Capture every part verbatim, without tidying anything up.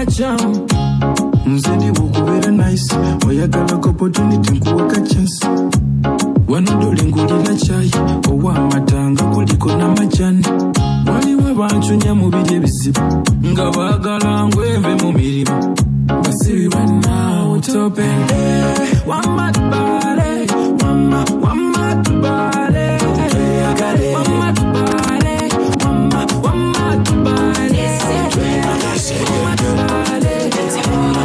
Jam. Nze ndi bukubeera nice, oyagala opportunity nkuweka chance. Wano ngulira chai ow'amata nga kuliko n'amajani. Waliwo abancunya mu biri ebizibu nga baagala ngweve mu mirimu. Basibi bannaawo tope. Wamma tubale, wamma, wamma tubale. Wamma tubale, wamma, wamma tubale. Wamma tubale, wamma,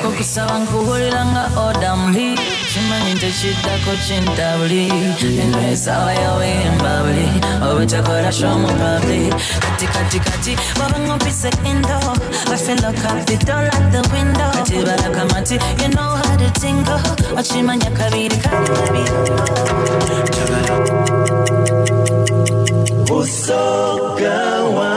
Okusaba nkuwulira nga oda mbi, kimanyi nti ekiddako kintabuli, eno essaawa yawemba buli obutakola show mu public. Kati kati kati baba ng'ompise endo, I feel like I the door like the window. Kati balakamati, you know how to tingle, okimanya kabiri kali babiri. Busoga One.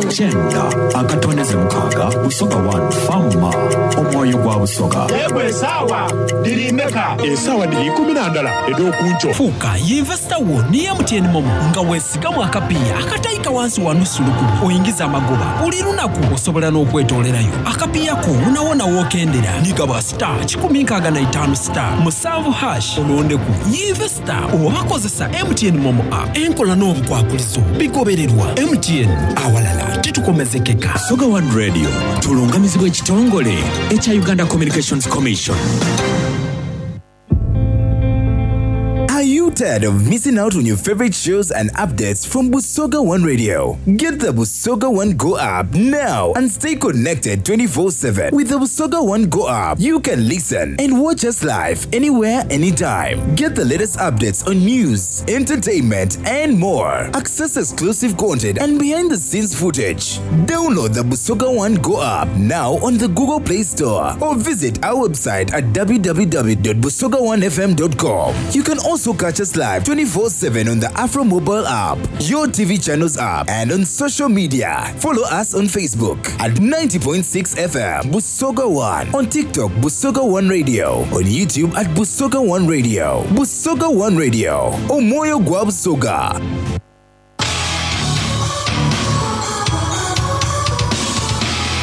Kyenda akatondeze mukaaga Busoga One Fama omwoyo gwa Busoga. Yegwe esaawa diri mmeka? Esaawa diri ikumi na ndala ed'okunkyo. Fuuka yinvesita wo ne M T N MoMo nga weesigamu akapiiya akatayika wansi wa nusu lukumi oyingiza amagoba buli lunaku osobola n'okwetoolerayo. Akapiiya ko wonawona w'okendera nigaba star kikumi nkaaga na itaano star musanvu hash olondeku yinvesita oba kozesa M T N MoMo app. Enkola n'obukwakulizo bigobererwa M T N awalala titukomezekeka. Busoga One Radio tulungamizibwa ekitongole ekya Uganda Communications Commission. Are you tired of missing out on your favorite shows and updates from Busoga One Radio? Get the Busoga One Go app now and stay connected twenty-four seven. With the Busoga One Go app, you can listen and watch us live anywhere, anytime. Get the latest updates on news, entertainment, and more. Access exclusive content and behind-the-scenes footage. Download the Busoga One Go app now on the Google Play Store or visit our website at w w w dot busoga one f m dot com. You can also catch us live twenty-four seven on the Afro mobile app, your T V channels app, and on social media. Follow us on Facebook at ninety point six F M Busoga One, on TikTok Busoga One Radio, on YouTube at Busoga One Radio. Busoga One Radio, Omoyo gwa Busoga.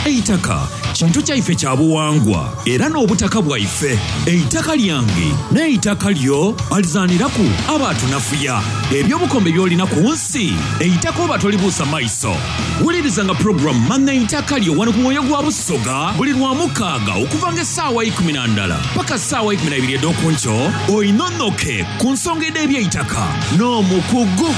Eitaka kintu kyaife kya buwangwa era n'obutaka bwaife. Eitaka lyange n'eitaka lyo alizaaniraku aba atunafuya. Ebyobukombe by'olina ku nsi, eitaka oba tolibuusa maiso. Wulirizanga program Manna Eitaka Lyo wano ku mwoyo gwa Busoga buli lwa mukaaga okuva ng'essaawa ikumi na ndala paka ssaawa ikumi na ibiri ed'okunkyo, oyinonnoke ku nsonga ed'ebyeitaka n'omukugu.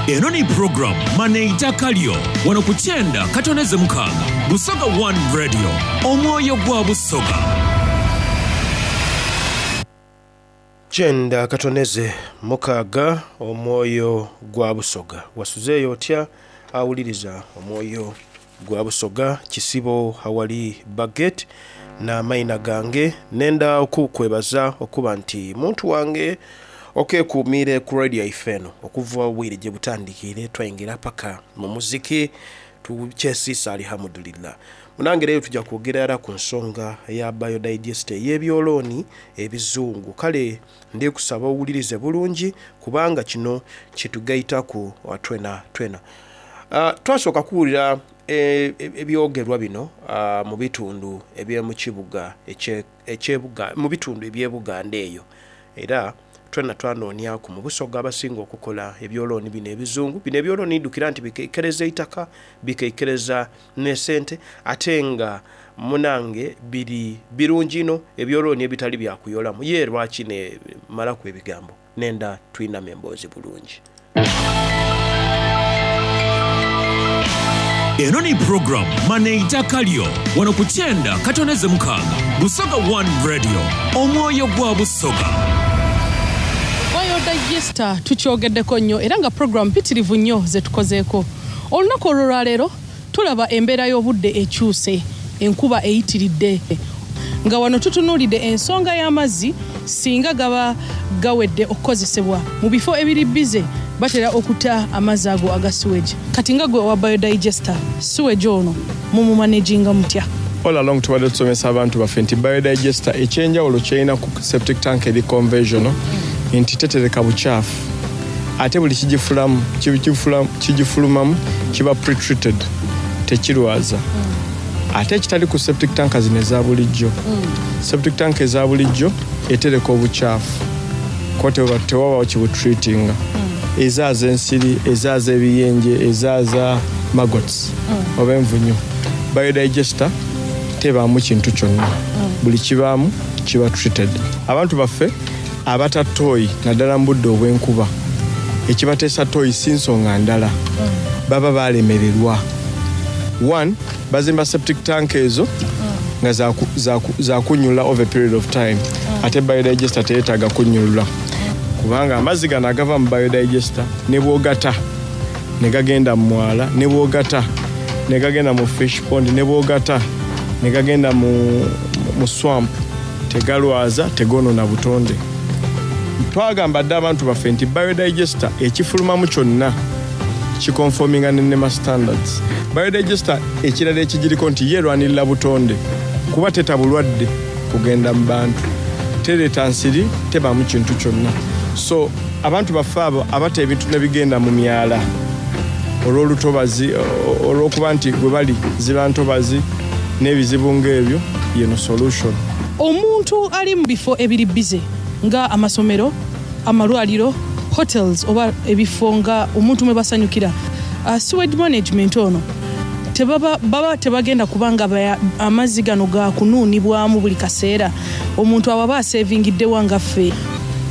Eno ni program Manna Eitaka Lyo wano ku kyenda katoneze mukaaga Busoga One Radio omwoyo gwa Busoga. Kyenda katoneze mukaaga omwoyo gwa Busoga. Wasuzeeyo otya awuliriza omwoyo gwa Busoga? Kisibo hawali baget n'amayina gange nenda okukwebaza okuba nti muntu wange okekuumire ku radio yaife eno okuva obwire gye butandikire twayingira paka mu muziki tukyesiisa alhamdulillah. Munange leero tujja kwogera era ku nsonga ya biodigester ey'ebyolooni ebizungu. Kale ndi kusaba owulirize bulungi kubanga kino kitugaitaku twena twena. Uh, twasooka kuwulira ebyogerwa bino uh, mu bitundu eby'omu kibuga ekyebuga mu bitundu eby'Ebuganda eyo, era twena twanoonyaku mu Busoga abasinga okukola ebyolooni bino ebizungu. Bino ebyolooni ndukira nti bikeikereza eitaka, bikeikereza n'esente, ate nga munange biri birungi ino ebyolooni ebitali byakuyolamu. Ye lwaki ne malaku ebigambo nenda twinama emboozi bulungi. Eno ni program Manna Eitaka Lyo wano ku kyenda katoneze mukaaga Busoga One Radio omwoyo gwa Busoga. Biodigester tukyogeddeko nnyo era nga program mpitirivu nnyo ze tukozeeko. Olunaku olwo lwaleero tulaba embeera y'obudde ekyuse, enkuba eyitiridde, nga wano tutunuulidde ensonga y'amazzi singa gaba gawedde okukozesebwa mu bifo ebiri bize batera okuta amazzi ago aga sewage. Kati nga gwe owa biodigester, sewage ono mumumanaginga mutya? All along tubadde tusomesa abantu baffe nti biodigester ekyenjawulo kyerina ku septic tank eri conventional Nti tetereka bukyafu, ate buli kigifulamu kigifulumamu kiba pretreated, tekirwaza. Ate ekitali ku septic tank zino eza bulijjo, septic tank eza bulijjo etereka obukyafu kuba tewabawo kibutreatinga, ezaaza ensiri, ezaaza ebiyenje, ezaaza maggots oba envunyu. Biodigester tebaamu kintu kyonna, buli kibaamu kiba treated. Abantu baffe abata toyi naddala mu budde obw'enkuba, ekibateesa toyi si nsonga ndala, baba balemererwa. One, bazimba septic tank ezo nga zakunyula over a period of time, ate biodigester teyetaaga kunyulula, kubanga amazzi gano agava mu biodigester ne bwogata ne gagenda mu mwala, ne bwogata ne gagenda mu fish pond, ne bwogata ne gagenda mu, mu swamp, tegalwaza, tegonona butonde. Twagamba dde abantu baffe nti biodigester ekifulumamu kyonna kiconforminga ne NEMA standards. Biodigester ekirala ekigiriko nti ye erwanirira butonde, kuba teta bulwadde kugenda mu bantu, tereeta nsiri, tebaamu kintu kyonna. So abantu baffe abo abata ebintu ne bigenda mu myala olw'olutobazi, olw'okuba nti gwe bali ziba ntobazi n'ebizibu ng'ebyo, yeno solution. Omuntu ali mu bifo ebiri busy nga amasomero, amalwaliro, hotels oba ebifo nga omuntu mwe basanyukira, uh, sewage management ono tebaba baba tebagenda kubanga amazzi gano gakunuunibwamu buli kaseera, omuntu abo aba asavingiddewa nga ffe?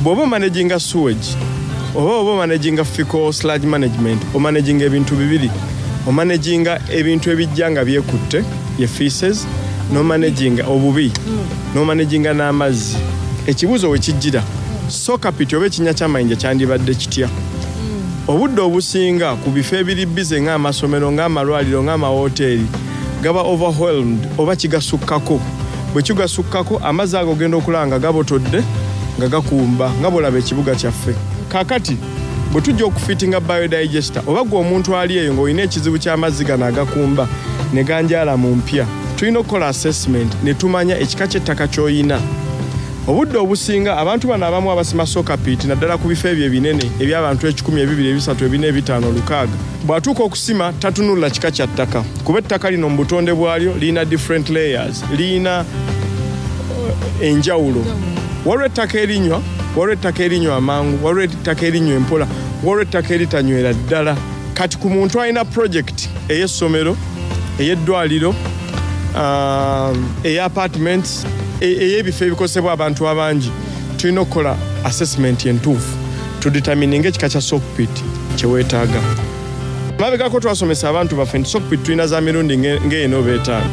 Bw'oba omanaginga sewage oba oba omanaginga fecal sludge management, omanaginga ebintu bibiri: omanaginga ebintu ebijja nga byekutte, ye feces, n'omanaginga obubi, n'omanaginga n'amazzi. Ekibuuzo we kijjira, soak pit oba ekinnya ky'amayinja kyandibadde kitya? Obudde obusinga ku bifo ebiri busy ng'amasomero, ng'amalwaliro, ng'amawoteeri, gaba overwhelmed oba kigasukkako. Bwe kigasukkako, amazzi ago ogenda okulaba nga gabotodde, nga gakumba, nga bwolaba ekibuga kyaffe kaakati. Bwe tujja okufitinga biodigester, oba gwe omuntu ali eyo ng'olina ekizibu ky'amazzi gano agakumba ne ganjaala mu mpya, tulina okukola assessment ne tumanya ekika ky'ettaka ky'oyina. Obudde obusinga abantu bano abamu abasima soak pit, naddala ku bifo ebyo ebinene eby'abantu ekikumi, ebibiri, ebisatu, ebina, ebitaano, lukaaga, bw'atuuka okusima tatunulira kika kya ttaka, kuba ettaka lino mu butonde bwalyo lirina different layers, lirina eh, enjawulo. Waliwo ettaka erinywa, waliwo ettaka erinywa amangu, waliwo ettaka erinywa empola, waliwo ettaka eritanywera ddala. Kati ku muntu alina project ey'essomero, ey'eddwaliro, um, eya apartments, e- ey'ebifo ebikozesebwa abantu abangi, tulina okukola assessment entuufu tudetermininga ekika kya soak pit kyeweetaaga. Mabegako twasomesa abantu baffe nti soak pit tulina za mirundi nge- ng'ena oba etaano.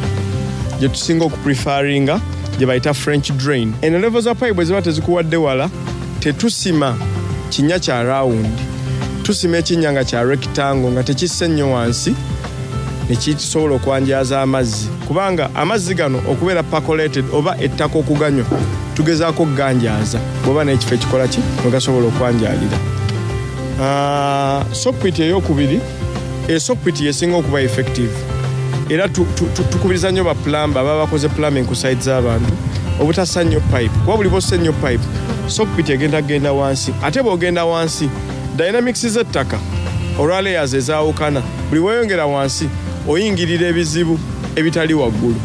Gye tusinga okuprefaringa gye bayita French drain. Eno level za pipe bwe ziba tezikuwadde wala, tetusima kinnya kya round, tusima ekinnya nga kya rectangle, nga tekisse nnyo wansi, nekisobola okwanjaza amazzi, kubanga amazzi gano okubeera percolated oba ettaka okuganywa, tugezaako okuganjaaza. Bw'oba n'ekifo ekikola ki mwe gasobola okwanjalira. Ah, soak pit eyokubiri, esoak pit yesinga okuba effective, era tu- tu- tu- tukubiriza nnyo ba plumber ababa bakoze plumbing ku site z'abantu obutassa nnyo pipe, kuba buli bossa ennyo pipe, soak pit egenda kugenda wansi. Ate bw'ogenda wansi, dynamics z'ettaka olwa layers ezaawukana, buli weeyongera wansi oyingirira ebizibu ebitali waggulu.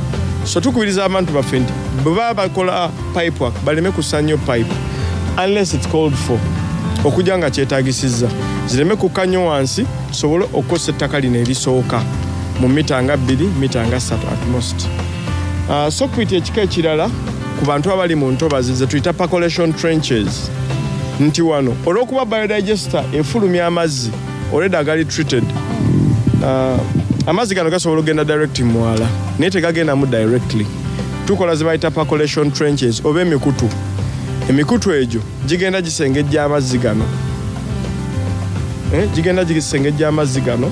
So tukubiriza abantu baffe nti bwe baba bakola pipe work, baleme kussa nnyo pipe unless it's called for, okujja nga kyetaagisizza, zireme kukka nnyo wansi, tusobole okukozesa ettaka lino erisooka mu mita nga bbiri, mita nga ssatu at most. uh, soak pit ekika ekirala ku bantu abali mu ntobazi ze tuyita percolation trenches, nti wano olw'okuba biodigester efulumya amazzi already agali treated, uh, amazzi gano gasobola okugenda direct mu mwala, naye tegagendamu directly. Tukola ze bayita percolation trenches oba emikutu. Emikutu egyo gigenda gisengejja amazzi gano, eh, gigenda gisengejja amazzi gano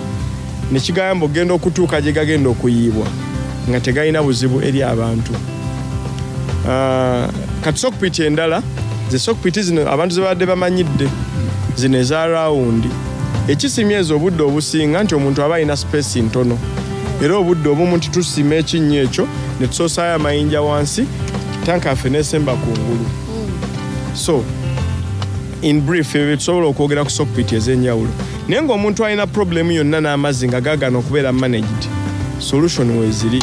nekigayamba okugenda okutuuka gye gagenda okuyiibwa nga tegalina buzibu eri abantu. Ah, kati soak pit endala ze soak pit zino abantu ze babadde bamanyidde, zino eza round. Ekisimya ezo obudde obusinga nti omuntu aba alina space ntono, era obudde obumu nti tusima ekinnya ekyo ne tusoosaayo amayinja wansi, tanka yaffe nesemba kungulu. So In brief, ebyo tusobola okwogera ku soak pit ez'enjawulo. Naye ng'omuntu alina problem yonna n'amazzi nga gaagana okubeera managed, solution weeziri,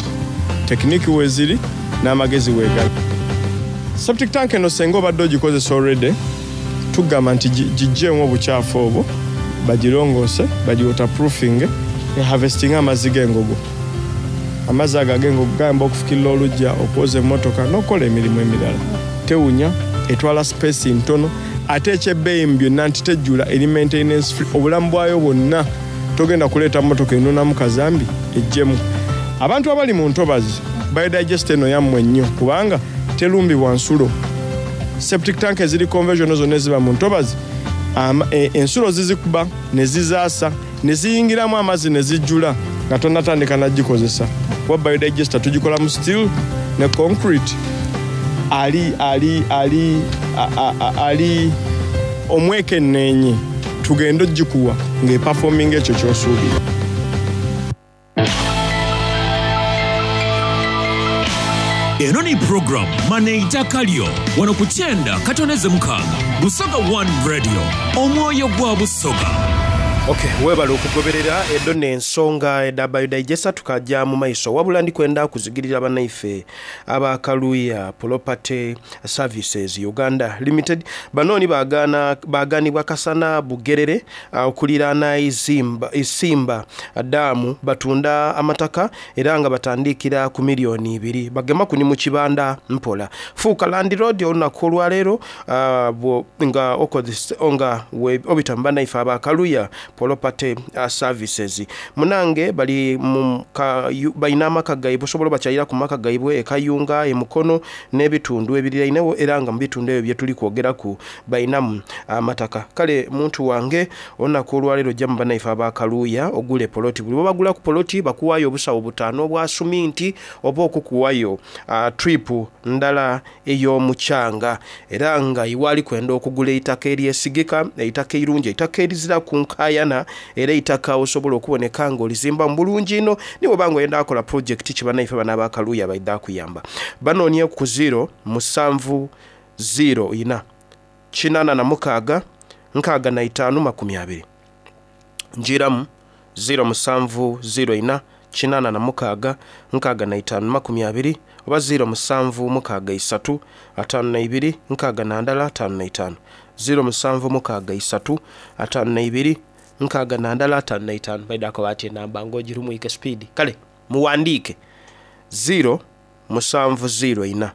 technique weeziri, n'amagezi weegali. Septic tank eno senga obadde ogikozesa already, tugamba nti giggyemu obukyafu obwo, bagirongoose, bagi waterproofing, harvesting amazzi g'engogo. Amazzi ago ag'engogo gayamba okufukirira oluggya, okwoza emmotoka n'okukola emirimu emirala. Tewunya, etwala space ntono, ate ekyebbeeyi mu byonna nti tejjula, eri maintenance free obulamu bwayo bwonna. Togenda kuleeta mmotoka enonamu kazambi ejjemu. Abantu abali mu ntobazi, biodigester eno yammwe nnyo kubanga terumbibwa nsulo. Septic tank eziri conventional zonna eziba mu ntobazi, e, ensulo zizikuba ne zizaasa ne ziyingiramu amazzi ne zijjula nga tonnatandika nagikozesa. Kuba biodigester tugikola mu steel ne concrete, ali ali ali ali omwekenneenye, tugende ogikuwa ng'eperforminga ekyo ky'osuubira. Eno ni program Maneitaka lyo wano ku kyenda katoneze mukaaga Busoga One Radio, omwoyo gwa Busoga. Okay, webale okugoberera edo n'ensonga eda biodigester tukajja mu maiso. Wabula ndikwenda kuzigirira bannaife aba Kaluya Property Services Uganda Limited. Banooni baagaana baaganibwa Kasana Bugerere okuliraana Izimba Isimba daamu, batunda amataka era nga batandikira ku miliyoni ibiri. Bagema kuni mu kibanda mpola. Fuuka landlord olunaku olwaleero uh, nga okozesa nga obita mu bannaife aba Kaluya Property Services. Munange bali mu balina amaka gaibwe, osobola obakyalira ku maka gaibwe e Kayunga, e Mukono n'ebitundu ebiriraine, era nga mu bitundu ebyo bye tuli kwogeraku balinamu amataka. Kale muntu wange olunaku olwaleero ojja mu bannaife aba Kaluya ogule poloti. Buli bwebagula ku poloti bakuwaayo obusawo butaano obwa suminti oba okukuwayo uh, trip ndala ey'omukyanga, era nga iwali kwenda okugula eitaka eryesigika, eitaka eirungi, eitaka erizira ku nkaayana, era eitaka osobola okuboneka ng'olizimba mu bulungi ino. Niwe banga oyenda akola project ki, bannaife bano aba Kaluya baidha kuyamba. Banoonye ku zero musanvu zero ina kinana na mukaaga nkaaga na itaano makumi abiri. Njiramu zero musanvu zero ina kinana na mukaaga nkaaga na itaano makumi abiri oba zero musanvu mukaaga isatu ataano na ibiri nkaaga na ndala ataano na itaano. zero musanvu mukaaga isatu ataano na ibiri nkaaga na ndala ataano na itaano. Baidako bati enamba ng'ogirumwike speed. Kale muwandiike zero musanvu zero ina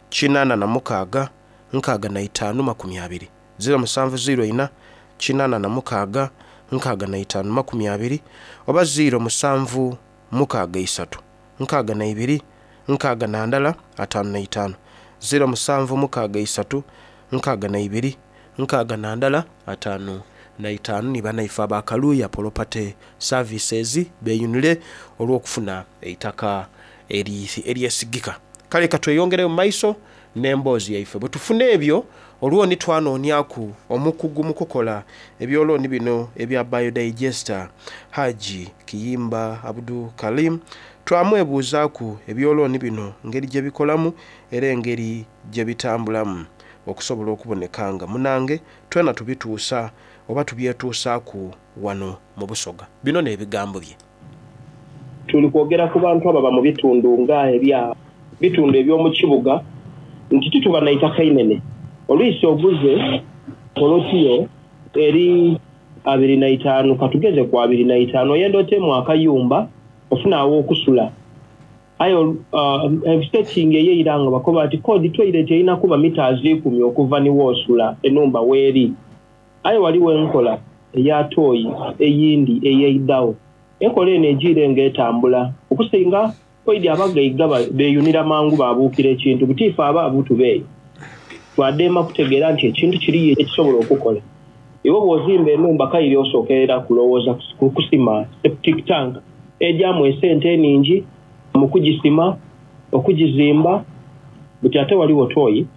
kinana na mukaaga nkaaga na itaano makumi abiri. zero musanvu zero ina kinana na mukaaga nkaaga na itaano makumi abiri oba zero musanvu mukaaga isatu nkaaga na ibiri nkaaga na ndala ataano na itaano. zero musanvu mukaaga isatu nkaaga na ibiri nkaaga na ndala ataano na itaano. Ni bannaife aba Kaluya Property Services beeyunire olw'okufuna eitaka eryesigika. Kale katweyongereyo mu maiso n'emboozi yaife. Bwe tufuna ebyo olwoni twanoonyaku omukugu mu kukola ebyolooni bino ebya biodigester, Haji Kiyimba Abdu Karim, twamwebuuzaaku ebyolooni bino ngeri gye bikolamu era engeri gye bitambulamu okusobola okuboneka nga munange twena tubituusa oba tubyetuusaaku wano mu Busoga. Bino n'ebigambo bye. Tuli kwogera ku bantu ababa mu bitundu nga ebya bitundu eby'omu kibuga nti tituba na itaka inene. Olwisi oguze polotiyo eri abiri na itaano, katugeze ku abiri na itaano, oyenda otemu akayumba ofuna awo okusula. Ayo uh, setting ey'eiranga bakoba ati kodi toilet erina kuba mita ikumi okuva ni woosula enumba weeri. Aye waliwo enkola eya tooyi eyindi ey'eiddawo. Enkola eno egiire ng'etambula okusinga oidi abagaiga beeyunira mangu babuukira ekintu butiifu aba abutubeeyo. Twaddeema kutegeera nti ekintu kiriyo ekisobola okukola. Iwe bw'ozimba enumba kayiri osookerera kulowooza kusima septic tank ejyamu esente eningi mu kugisima, okugizimba. Buti ate waliwo tooyi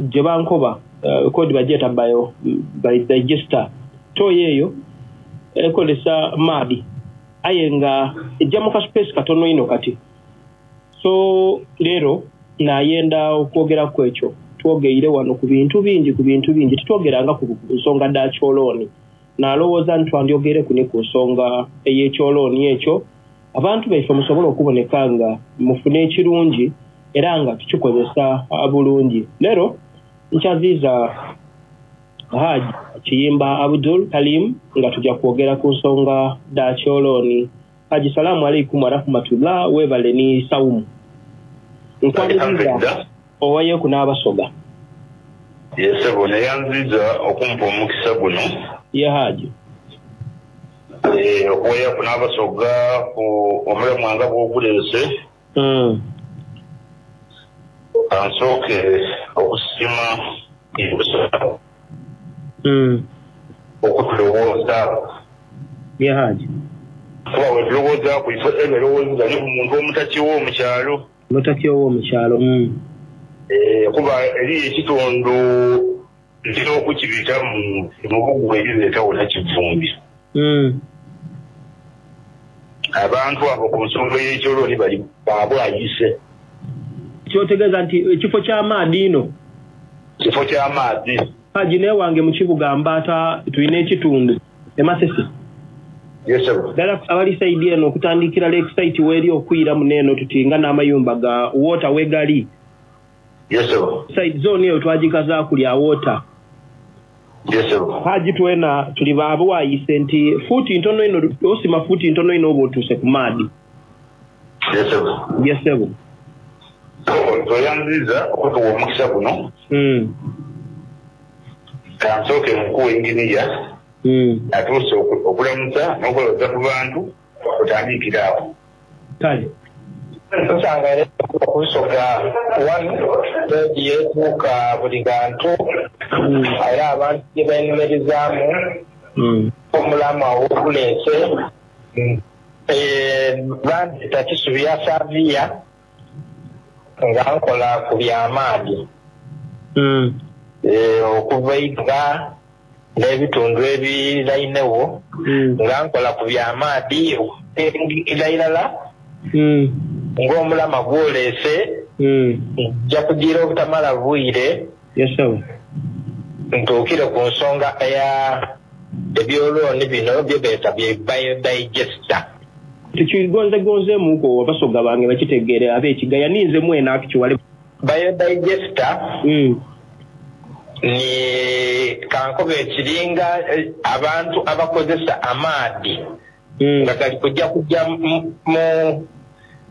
gye bankoba uh, kodi bagyeta bio biodigester. Tooyi eyo ekozesa maadi aye nga ejja mu kaspace katono ino kati. So leero nayenda okwogera ku ekyo. Twogeire wano ku bintu bingi, ku bintu bingi. Titwogeranga ku nsonga dha kyolooni. Nalowooza nti twandyogereku ni ku nsonga ey'ekyolooni ekyo, abantu baife musobole okuboneka nga mufuna ekirungi era nga tukikozesa bulungi. Leero nkyaziiza Haji Kiyimba Abdul Kalim nga tujja kwogera ku nsonga dha kyolooni. Haji, salaamu alaikum warahmatullah, weebale ni saumu. Nkwaniriza owayeeku n'abasoga. Yesebo, neyanziza okumpa omukisa guno. Ye Haji. Eh, okuwayaku n'abasoga ku omulamu nga bw'oguleese. Mm. Kansooke okusiima Busoga Mm. okutulowooza. Ye Haji. Kuba wetulowooza ku ifo eberowooza ni ku muntu omutaki w'omukyalo. Omutaki ow'omukyalo. Mm. Eh, kuba eri ekitundu ntera okukibita mu mu bugu erireetawo nakivumbi. Mm. Abantu abo ku nsonga y'ekyolooni bali baabwayise. Kyotegeeza nti ekifo ky'amaadi ino. Kifo ky'amaadi. Haji, newange mu kibuga Mbaata tulina ekitundu e Masese. Yesebo. Ddala abali sayidi eno okutandikira Lake Site weeri okwira muno eno tuti nga n'amayumba ga water wegali. Yesebo. Side zone eyo twagikazaaku lya water. Yesebo. Haji, twena tuli baabwayise nti fuuti ntono ino osima fuuti ntono ino oba otuuse ku maadi. Yesebo. Yesebo. Toyanziza okutuwa omukisa guno. Mm. Kansooke nkuwa enginiya. Mm. Atuuse okulamusa n'okulowooza ku bantu otandikira awo. Kale. Tusanga era okusoga wano rediyo etuuka buli bantu era abantu gye benyumirizaamu omulamu awoguleese bandita Kisubi Saviya nga nkola ku byamaadi okuva Iga n'ebitundu ebirainewo nga nkola ku byamaadi irala ng'omulama gwoleese nja kugira obutamala bwire ntuukire ku nsonga eya ebyolooni bino bye beeta bye biodigester. Tukigonzegonzeemuko abasoga bange bakitegeere ab'ekigaya ninze mwena akikiwale. Biodigester ni kankobe ekiringa abantu abakozesa amaadi nga gali kujja kujja mu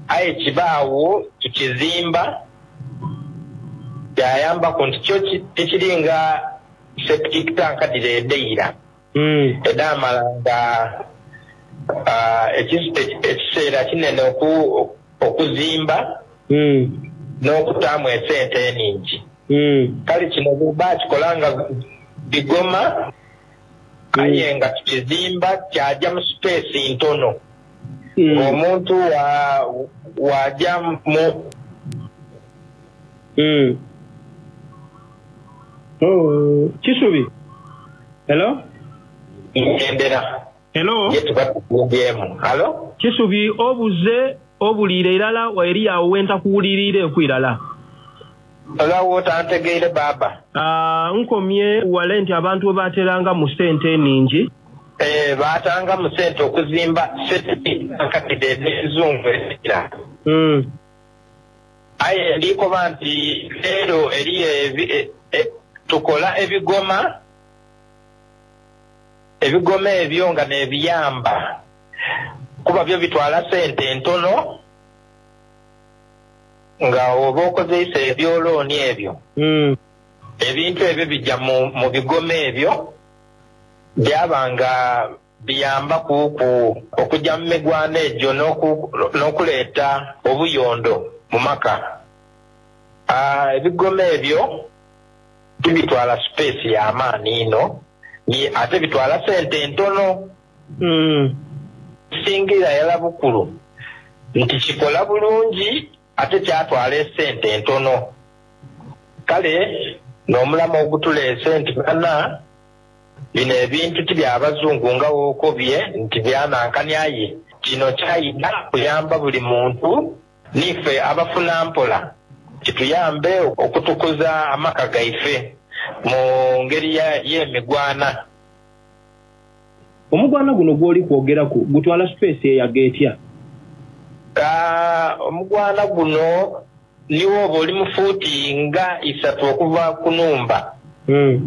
aye kibaawo tukizimba kyayamba ku nti kyo tekiringa septic tank direedeira edamala nga ekiseera kinene okuzimba n'okutaamu esente eningi. Kale kino bakikola nga bigoma aye nga tukizimba kyajja mu space ntono. Omuntu wajja mu Kisubi. Hello? Endera. Hello? Hello? Kisubi obuze obuliire irala eri awo wenta kuwulirire ekwirala. Olawo otantegeire baba. Ah, nkomye wale nti abantu bateranga mu ssente eningi. Eh, batanga mu ssente okuzimba septic tank ezungu era. Mm. Aye ndikoba nti leero eri e, e, tukola ebigoma ebigoma ebyo nga n'ebiyamba kuba byo bitwala ssente entono nga oba okozeisa ebyolooni ebyo. Mm. Ebintu ebyo bijja mu, mu bigoma ebyo byaba nga biyamba ku okujja mu migwano egyo n'okuleeta obuyondo mu maka. Ah, ebigoma ebyo tibitwala space y'amaani ino ni ate bitwala ssente entono. Mm. Singira yala bukulu nti kikola bulungi ate kyatwala essente entono. Kale n'omulamu ogutuleese nti bana bino ebintu tibyabazungu nga wookobye nti byanankani aye kino kyayina kuyamba buli muntu nife abafuna mpola Kituyambe okutukuza amaka gaife mu ngeri y'emigwana. Omugwana guno gw'oli kwogeraku gutwala space eyaga etya? Ka omugwana guno niwo oba oli mufuuti nga isatu okuva ku numba. Mm.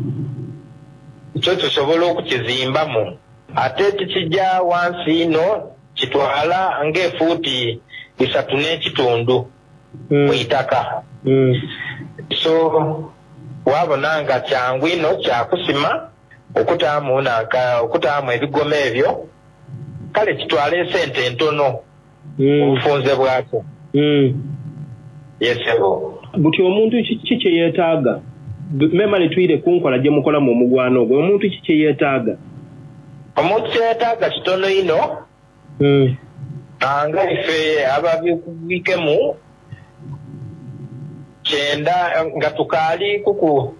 Kyo tusobola okukizimbamu, ate tikijja wansi ino, kitwala ng'efuuti isatu n'ekitundu mu itaka. Mm. So wabona nga kyangu ino kyakusima okutaamu nanka okutaamu ebigoma ebyo, kale kitwala esente entono obufunze bwakyo. Mm. Yesebo. Buti omuntu ki kye yeetaaga? Memale twire ku nkola gye mukolamu omugwana ogwo, omuntu ki kye yeetaaga? Omuntu kye yeetaaga kitono ino. Mm. Nga ife ababikubikemu kyenda nga tukaali kuku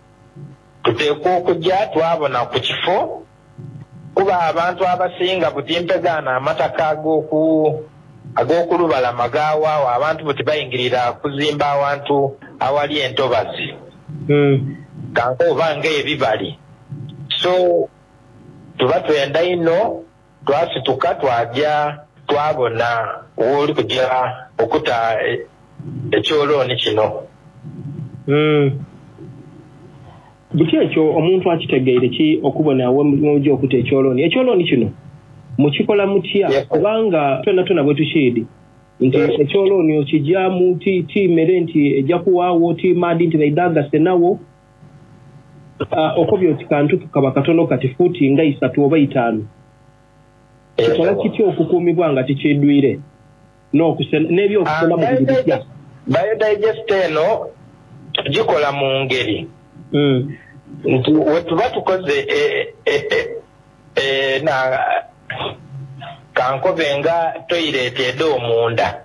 tuteekwa okujja twabona ku kifo, kuba abantu abasinga buti mpegaana amataka ag'oku ag'okulubalama gaawaawo, abantu buti bayingirira kuzimba awantu awali entobazi. Mm. Kanka oba ng'ebibali, so tuba twenda ino twasituka twajja twabona wooli kujja okuta ekyolooni kino. Mm. Buti ekyo omuntu akitegeire ki okubona wemujja okuta ekyolooni? Ekyolooni kino mukikola mutya? Kubanga twena twena bwe tukiidi nti ekyolooni okijjamu ti ti mmere nti ejja kuwaawo ti maadi nti baidagase nawo. Uh, okobya oti kantu kaba katono kati fuuti nga isatu oba itaano, kikola kitya okukuumibwa nga tikiidwire n'ebyokusena mu biri bitya? Biodigest eno tugikola mu ngeri nti wetuba tukoze e, e, e, e, na kankobe nga toyireti ed'omunda,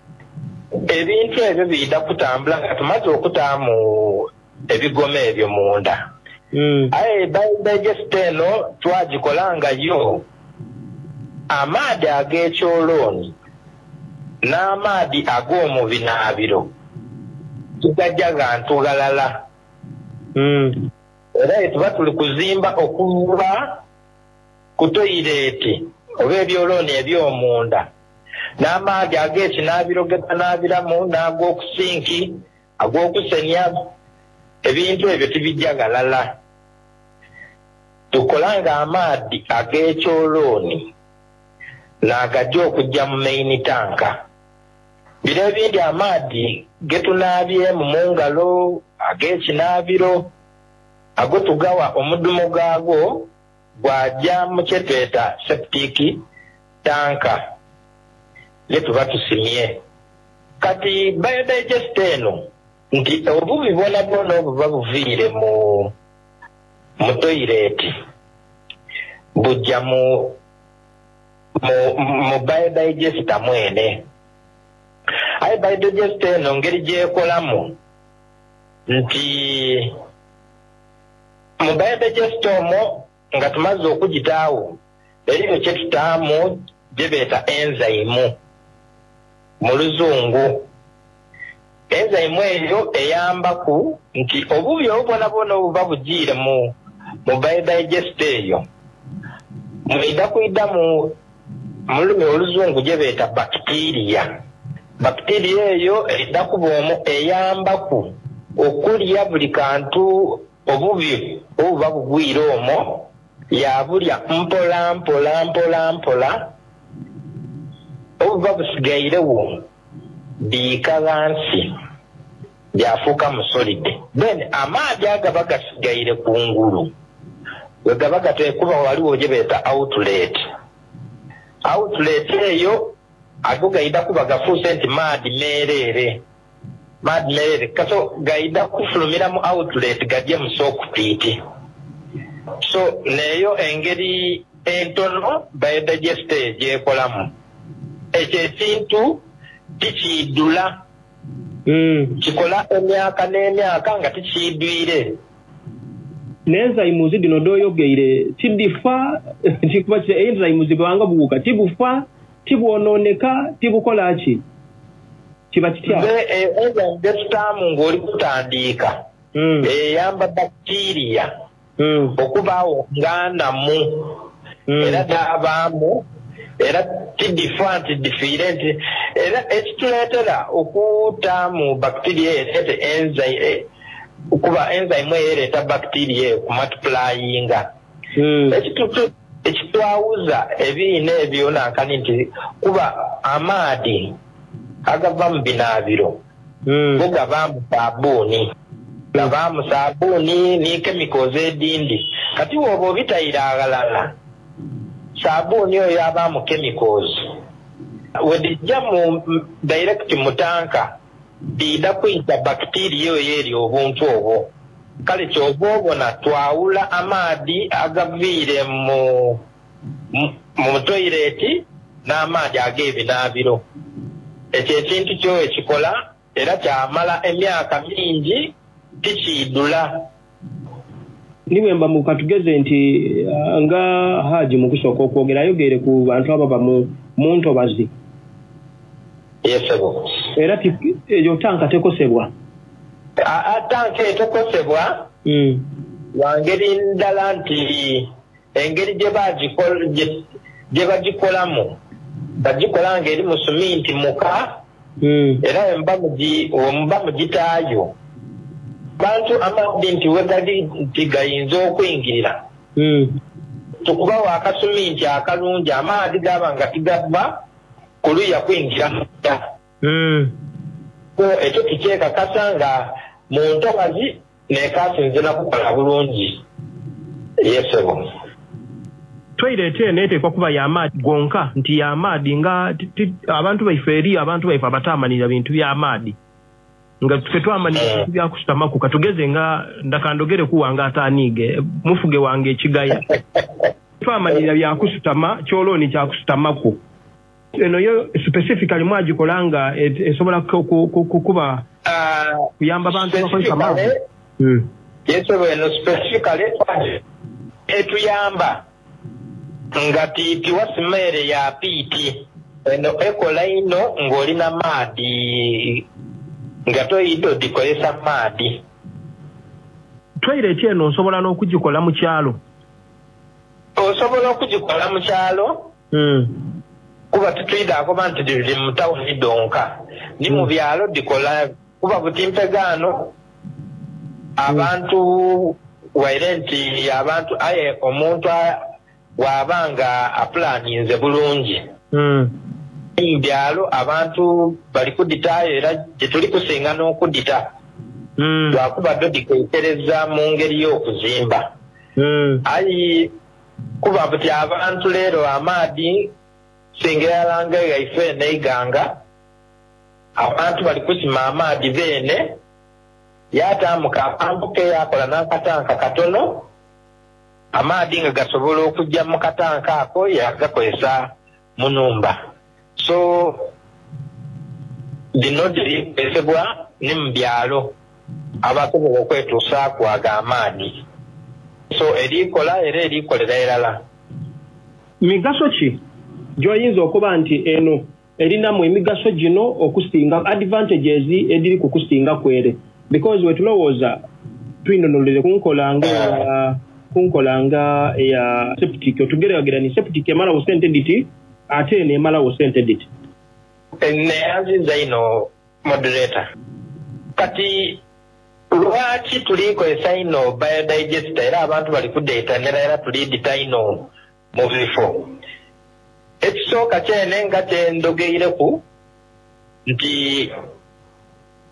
ebintu ebyo biida kutambula nga tumaze okutaamu ebigoma ebyo munda. Mm. Aye biodigest eno twagikola nga yo amaadi ag'ekyolooni n'amaadi ag'omu binaabiro tugajja gantu galala. Mm. Era tuba tuli kuzimba okuva ku toyireti oba ebyolooni eby'omunda n'amaadi ag'ekinaabiro ge banaabiramu n'ag'okusinki ag'okusenya, ebintu ebyo tibijja galala. Tukola nga amaadi ag'ekyolooni n'agajja okujja mu main tanka. Biro ebindi amaadi getunaabyemu mu ngalo ag'ekinaabiro ago tugawa omudumu gaago gwajja mu kyetweta septic tanka ye tuba tusimye. Kati biodigest eno nti obubi bwona bwona obuba buviire mu mu toyireti bujja mu mu, mu biodigester mwene. Aye biodigester eno ngeri gyekolamu nti mu biodigester omwo nga tumaze okugitaawo eriyo kyetutaamu gye beeta enzyme mu luzungu. Enzyme eyo eyambaku nti obubi obwo bwona bwona obuba bugiire mu mu biodigester eyo mwida kwida mu mu lulimi oluzungu gye beeta bacteria. Bacteria eyo edda kuba omwo eyambaku okulya buli kantu obubi obuba bugwire omwo, yabulya mpola mpola mpola mpola, obuba busigairewo biika ghansi byafuuka musolide. Then amaadi agaba gasigaire kungulu we gaba gatekuba waliwo gye beeta outlet. Outlet eyo ago gaida kuba gafuuse nti maadi meereere, maadi meereere kaso gaida kufulumira mu outlet gajje mu sockpit. So neyo engeri entono biodigester gyekolamu. Ekyo ekintu tikiidula. Mm. Kikola emyaka n'emyaka nga tikiidwire. N'enzymes dhino dh'oyogeire tidifa, tikuba ki enzymes bwanga buwuka tibufa, tibwonooneka, tibukola ki? Kiba kitya? Enzyme gyetutaamu ng'oli kutandiika eyamba bacteria okubaawo nga namu, era n'abaamu, era tidifa nti difiire, nti era ekituleetera okutaamu bacteria ereete enzyme, kuba enzyme eyo ereeta bacteria eyo kumultiplyinga. Ekitwawuza ebiina ebyo nankani nti kuba amaadi agava mu binaabiro go gabaamu sabuuni, gabaamu sabuuni ni chemicals edindi. Kati woba obitayire aghalala, sabuuni oyo abaamu chemicals, wedijja mu direct mu tanka biida kwita bacteria oyo eri obuntu obwo. Kale kyova obona twawula amaadi agaviire mu mu toyireti n'amaadi ag'ebinaabiro. Ekyo ekintu kyo ekikola era kyamala emyaka mingi tikiidula. Niwemba mukatugeze nti nga Haji mukusooka okwogera ayogeere ku bantu ababa mu ntobazi. Yesebo. Era eyo tanka tekosebwa. Tanka etekosebwa wangeri ndala nti engeri gye bagikolamu bagikola ng'eri mu suminti muka, era wemuba mugitaayo bantu amadi nti wegali nti gayinza okuyingirira, tukubawo akasuminti akalungi amaadi gaba nga tigava kuluya kuyingira munda. So ekyo tukyekakasa nga mu ntobazi nekasinze nakukola bulungi. Yesebo. Toilet eno eteekwa kuba y'amaadi gonka, nti y'amaadi nga abantu baife eri abantu baife abataamanira bintu by'amaadi nga ffe twamanira bintu byakusutamaku. Katugeze nga ndakandogere kuwanga ataniige mufuge wange ekigaya, twamanira byakusutama, kyolooni kyakusutamaku. Eno yo specifically mwagikola nga esobola kuba kuyamba bantu bakozesa maadi. Yesebo, eno specifically etuyamba nga tiwa simere ya piiti. Eno ekola ino ng'olina maadi nga toyidde odikozesa maadi. Toilet eno nsobola n'okugikola mu kyalo? Osobola okugikola mu kyalo kuba tutwida akuba nti diri mu tawuni donka, ni mu byalo dikola kuba butimpegaano abantu waire nti abantu aye omuntu wabanga apulaninze bulungi mu byalo abantu bali kuditayo era gye tuli kusinga n'okudita lwakuba ddo dikeekereza mu ngeri y'okuzimba. Ayi kuba buti abantu leero amaadi singa yalanga yaife n'eiganga abantu bali kusima amaadi beene, yataamuka akampu ke yakola n'akatanka katono, amaadi nga gasobola okujja mu katanka ako yagakozesa mu nnumba. So dino dirikozesebwa ne mu byalo abasobola okwetuusaaku ago amaadi. So erikola era erikolera erala. Migaso ki gy'oyinza okuba nti eno erinamu emigaso gino okusinga advantages ediri ku kusinga kwere? Because wetulowooza twinonolere kunkola nga kunkola nga eya septic, otugeragera ni septic emalawo sente diti ate eno emalawo sente diti. Neyanziza ino moderator. Kati lwaki tulikozesa ino biodigester era abantu bali kudeetanira era tulidita ino mu bifo? Ekisooka kyene nga kyendogeireku nti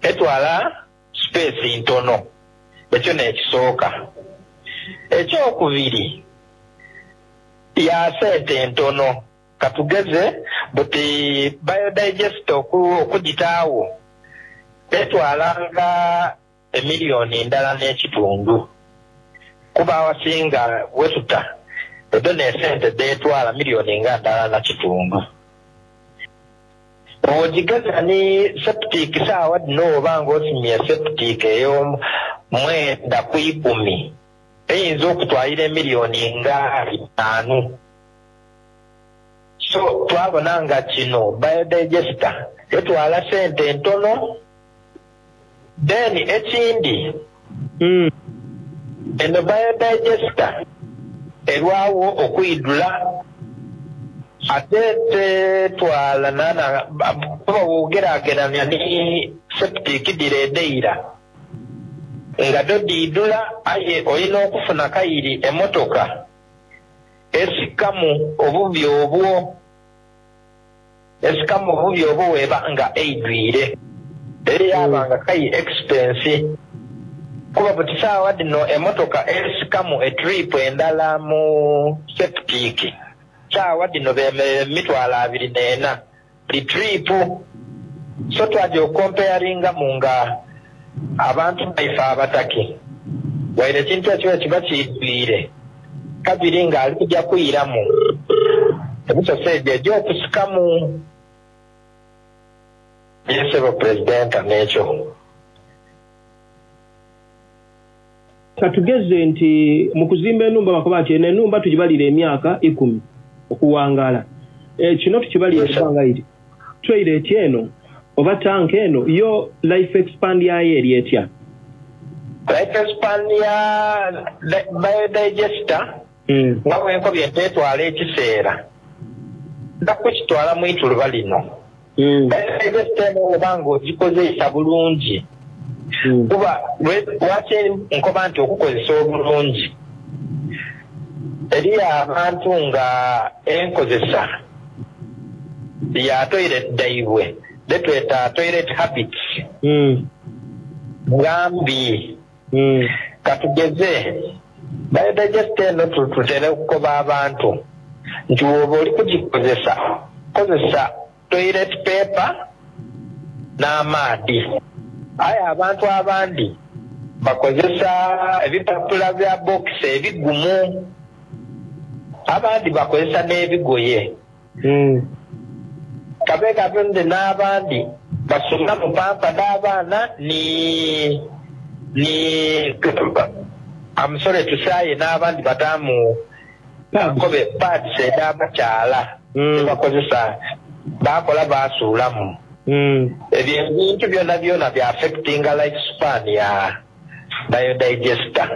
etwala space ntono, ekyo n'ekisooka. Ekyokubiri ya sente ntono. Katugeze buti biodigester okugitaawo etwalanga emiliyoni ndala n'ekitundu, kuba awasinga wetuta edo n'esente deetwala miliyoni nga ndala na kitundu. Bw'ogigeza ni septic saawa dino oba ng'osimye septic ey'omwenda ku ikumi eyinza okutwalira emiliyoni nga itaanu. So twabona nga kino biodigester Etwala sente ntono. Then ekindi, eno biodigester erwawo okwidula, ate tetwala nana kuba wogerageranya ni septic diredeira nga do diidula, aye olina okufuna kayiri emotoka esikamu obubi obwo esikamu obubi obwo weba nga eidwire, era yaba nga kayi expense, kuba buti saawa dino emotoka esikamu etrip endala mu septic saawa dino bemerere emitwalo abiri n'ena buli trip. So twaja okompeyaringamu nga abantu baife abataki waire ekintu ekyo kiba kiidwire kabiri nga ali kujja kwiramu ebisoso egyo egy'okusikamu. Yesebo pulezidenta n'ekyo. Katugeze nti mu kuzimba enumba bakoba nti eno enumba tugibalira emyaka ikumi okuwangala, e, kino tukibalira ebbanga iri toilet eno oba tanka eno yo life expand yayo eri etya? Life span ya biodigester nga bwenkobye ntetwala ekiseera nda kukitwala mu ituluba lino. Biodigester eno oba nga ogikozesa bulungi, kuba lwaki nkoba nti okukozesa obulungi, eriyo abantu nga enkozesa ya toilet daibwe detweta toilet habits nga mbi. Katugeze biodigester eno tutere okukoba abantu nti woba oli kugikozesa kozesa toilet paper n'amaadi, aye abantu abandi bakozesa ebipapula bya bokisi ebigumu, abandi bakozesa n'ebigoye kabe kabe n'abandi basula mu pampa n'abaana ni ni I'm sorry to say n'abandi batamu nkobe pads ed'abakyala tebakozesa bakola basuulamu. Ebyo ebintu byonna byonna bya affectinga life span ya biodigester.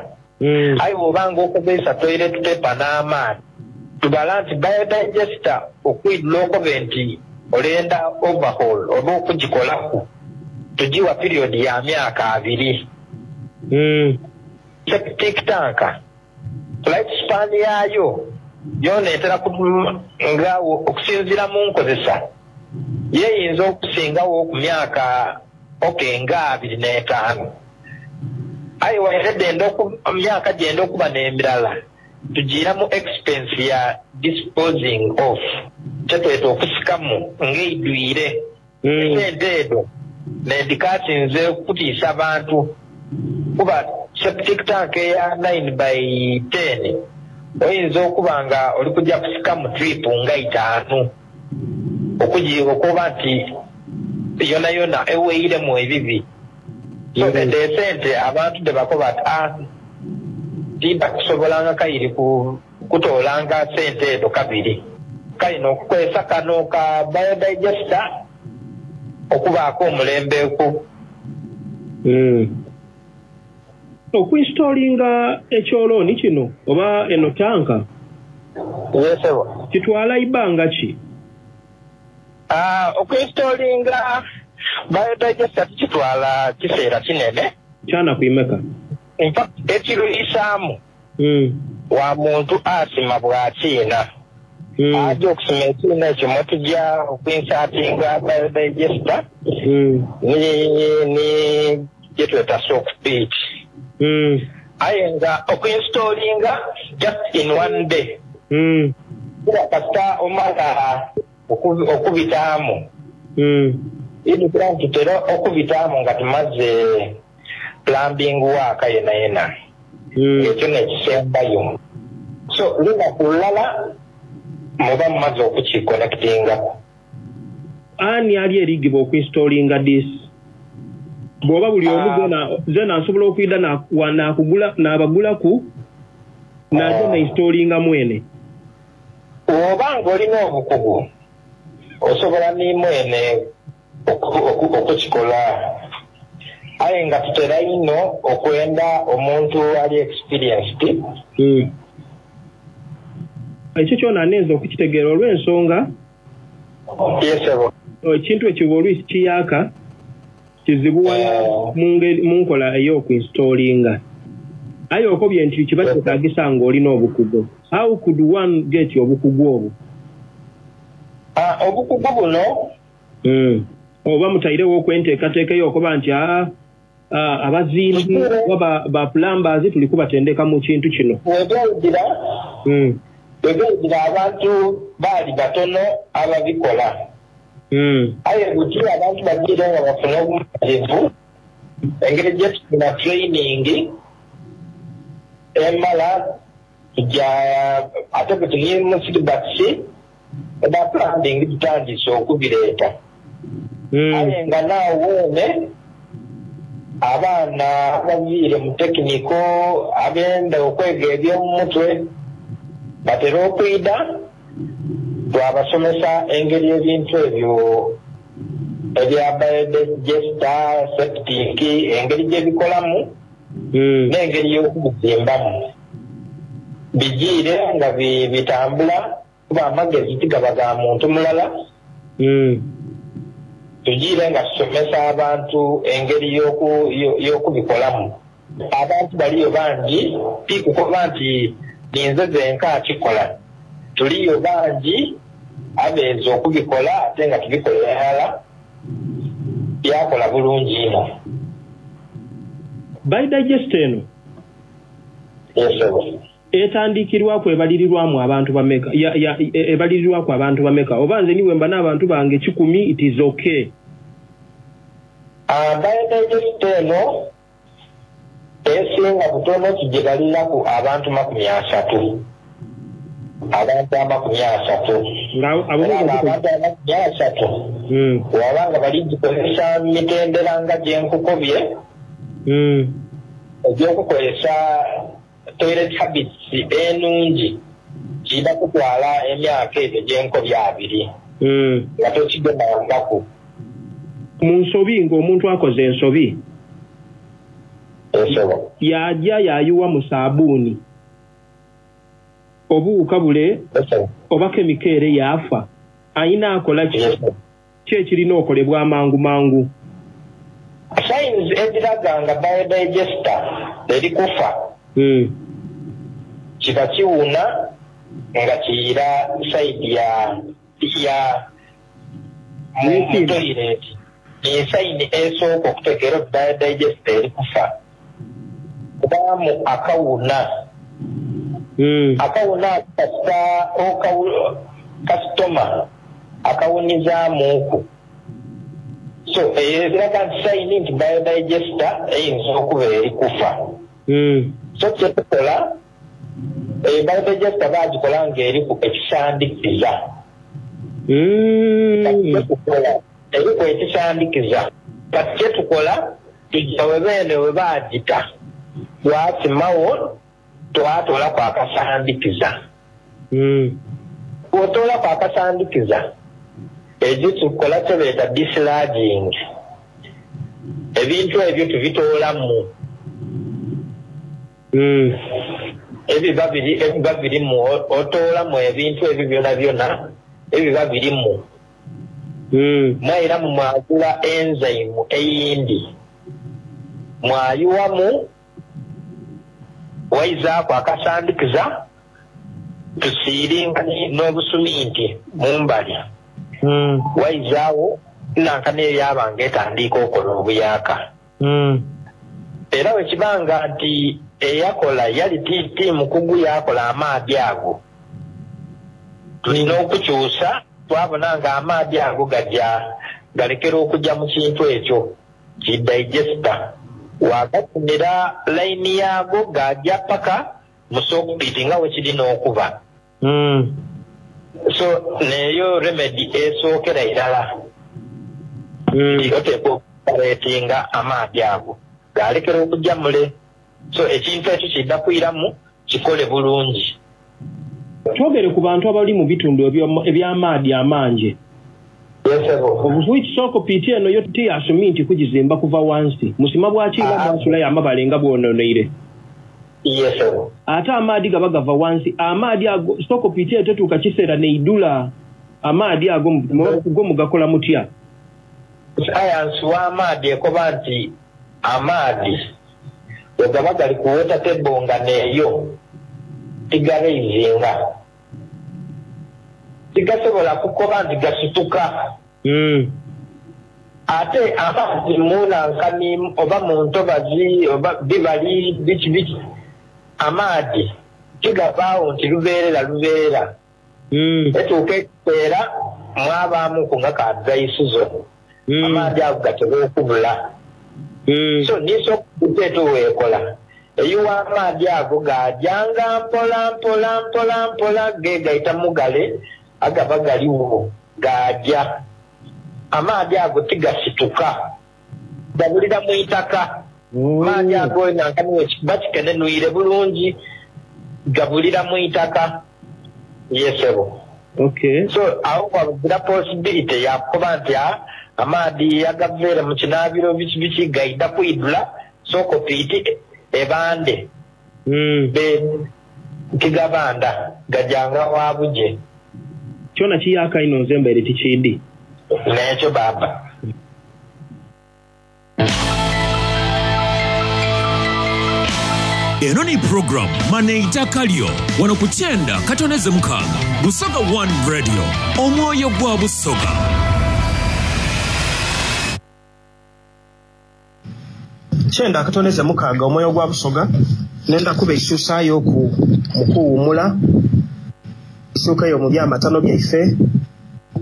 Aye bw'obanga okozesa toilet paper n'amaani, tubala nti biodigester okwidula okobe nti olenda overhaul oba okugikolaku tugiwa period ya myaka abiri. Septic tank life span yaayo yona etera nga okusinziira mu nkozesa yeyinza okusingawo ku myaka okay nga abiri n'etaano, aye waire enda myaka gyenda okuba n'emirala tugiiramu expense ya disposing off kyetweta okusikamu ng'eidwire. Esente edo nendikasinze okutiisa abantu, kuba septic tank eya nine by ten oyinza okuba nga oli kujja kusikamu trip nga itaano okugi okuba nti yona yona eweiremu ebibi. So edo esente abantu tebakoba ati ah timba kusobolanga kayiri ku kutoolanga sente edo kabiri kalina okukozesa kano ka biodigester okubaako omulembe ku Okuinstolinga ekyolooni kino oba eno tanka yesebo kitwala ibanga ki? Ah, okuinstolinga biodigester tikitwala kiseera kinene kyana kuimeka. In fact ekiruyisaamu wa muntu asima bwakiina aja okusima ekiina ekyo mutujja okuinsatinga biodigester ni ni gyetweta soak pit, aye nga okuinstolinga just in one day kuba kasita omala okubitaamu idukira nti tutera okubitaamu nga tumaze plumbing work yena yena ekyo nekisembayo. So lunaku lulala muba mumaze okukikonectingako. Ani ali erigibwa okuinstolinga this? Bw'oba buli omu zena zena nsobola okwida nakugula nabagulaku naje nainstolinga mwene. Oba ng'olina obukugu osobola ni mwene Okukikola, aye nga tutera ino okwenda omuntu ali experienced. hmm. Ekyo kyona anenza okukitegeera olw'ensonga. Yesebo. Ekintu ekyo bw'olwisi kiyaka kizibuwala mu nkola ey'okuinstolinga, aye okobye nti kiba kyetaagisa ng'olina obukugu. How could one get obukugu obwo? Ah, obukugu buno hmm. oba mutairewo okwenteekateeka eyokuba nti aa abazimbi oba ba plumbers tuli kubatendeka mu kintu kino? Webwaigira hmm. webwaigira abantu baali batono ababikola, hmm. aye buti abantu bagiire nga bafuna obumalirivu engeri gyetufuna training emala tujja, ate bwe tuli mu syllabus eba plumbing tutandise okubireeta, aye nga naawe weene abaana abaviire mu technical abenda okwega ebyomumutwe batera okwida, twabasomesa engeri ebintu ebyo ebya biodigester, septic, engeri gyebikolamu n'engeri y'okubizimbamu, bigiire nga bitambula, kuba amagezi tigaba ga muntu mulala. Tugiire nga tusomesa abantu engeri y'okubikolamu. Abantu baliyo bangi, tikukoba nti ninze zenka akikola, tuliyo bangi abeeza okubikola, ate nga tubikolera ddala byakola bulungi ino. Biodigester eno etandikirwaku, ebalirirwamu abantu bameka? Ebalirirwaku abantu bameka? Oba nze niwe mba n'abantu bange kikumi, it is okay? Biodigester eno esinga butono tugibaliraku abantu makumi asatu, abantu amakumi asatu. Abantu amakumi asatu hmm. wabanga baligikozesa mitendera nga gyenkukobye hmm. egyokukozesa toilet habits enungi, kiida kutwala emyaka egyo gyenkobye abiri hmm. nga tokigemangaku. Mu nsobi, ng'omuntu akoze ensobi, yajja yayiwa mu saabuuni obuwuka bule oba chemical yaafa, ayina akola ki? Ki ekirina okolebwa amangu mangu? Signs eziraga nga biodigester eri kufa, hmm. kiba kiwuna nga kiyira side ya ya mu toilet, e sign esooka okutegeera oti biodigester eri kufa kubaamu akawuna. hmm. Akawuna kasita kasitoma akawunizaamuuku, so eyo eraga nti sign nti biodigester eyinza okuba eri kufa. hmm. So kyetukola, biodigester bagikola ngaeriku ekisandikiza. hmm. Kyetukola, eriku ekisandikiza, kati kyetukola tujja webeene we bagita twasimawo, twatoolaku akasandikiza. hmm. Bw'otoolaku akasandikiza, ekyo tukola kyebeeta desludging, ebintu ebyo tubitoolamu hmm. ebiba biri ebiba birimu, otoolamu ebintu ebyo byona byona ebiba birimu, hmm. mwairamu mwagula enzyme eyindi, mwayiwamu, waizaaku akasandikiza, tusiiringa n'obusuminti mumbali, hmm. waizaawo nanka neyo yabanga etandiika okola obuyaka. hmm. Era wekibanga nti eyakola yali ti mukugu, yakola amaadi ago, tulina okukyusa, twabona nga amaadi ago gajja galekera okujja mu kintu ekyo ki digester, wagafunira layini yaago gajja paka mu soak pit nga wekirina okuba. hmm. So neyo remedy esookera irala, hmm. oteeka okureetinga amaadi ago galekera okujja mule, so ekintu ekyo kidda kwiramu kikole bulungi. Twogere ku bantu abali mu bitundu eby'amaadi amangi. Obufuiki sokopiiti eno yo tiyasumi nti kugizimba kuva wansi musima bwakiiba mwasulayo amabale nga bwononeire. Yesebo. Ate amaadi gaba gava wansi, amaadi ago sokopiiti eyo tetuuka kiseera neidula, amaadi ago go mugakola mutya? Sayansi w'amaadi ekoba nti amaadi bwe gaba gali ku water table nga neeyo tigaraizinga, tigasobola kukoba nti gasituka. Mm. Ate amazi munankani oba mu ntobazi oba bibali biki biki, amaadi tigavaawo nti lubeerera lubeerera. Mm. Etuuka ekiseera mwabaamuku nga ka dry season, Mm. amaadi ago gatera okubula. Mm. So nisokuteeto weekola eyiwa amaadi ago gajanga mpola mpola mpola mpola gegaita mugale agaba galiwo gaja. Amaadi ago tigasituka, gabulira mu itaka. Amaadi ago nankani bakikenenwire bulungi, gabulira mu itaka. Yesebo. Okay. So awo wabugira possibility yakuba nti ah, amaadi agaveere mu kinaabiro biki biki gaida kwidula sokopiiti ebande. Mm. Be tigabanda gajanga wabuje. Kyona kiyaka ino nze mbaire tikindi. Nekyo baba. Eno ni program Maneitaka lyo wano ku kyenda katoneze mukaaga Busoga One Radio, omwoyo gwa Busoga. Kyenda katoneze mukaaga omwoyo gwa Busoga, nenda kuba eisuusaayo ku mukuwumula isuukayo mu byamatano byaife.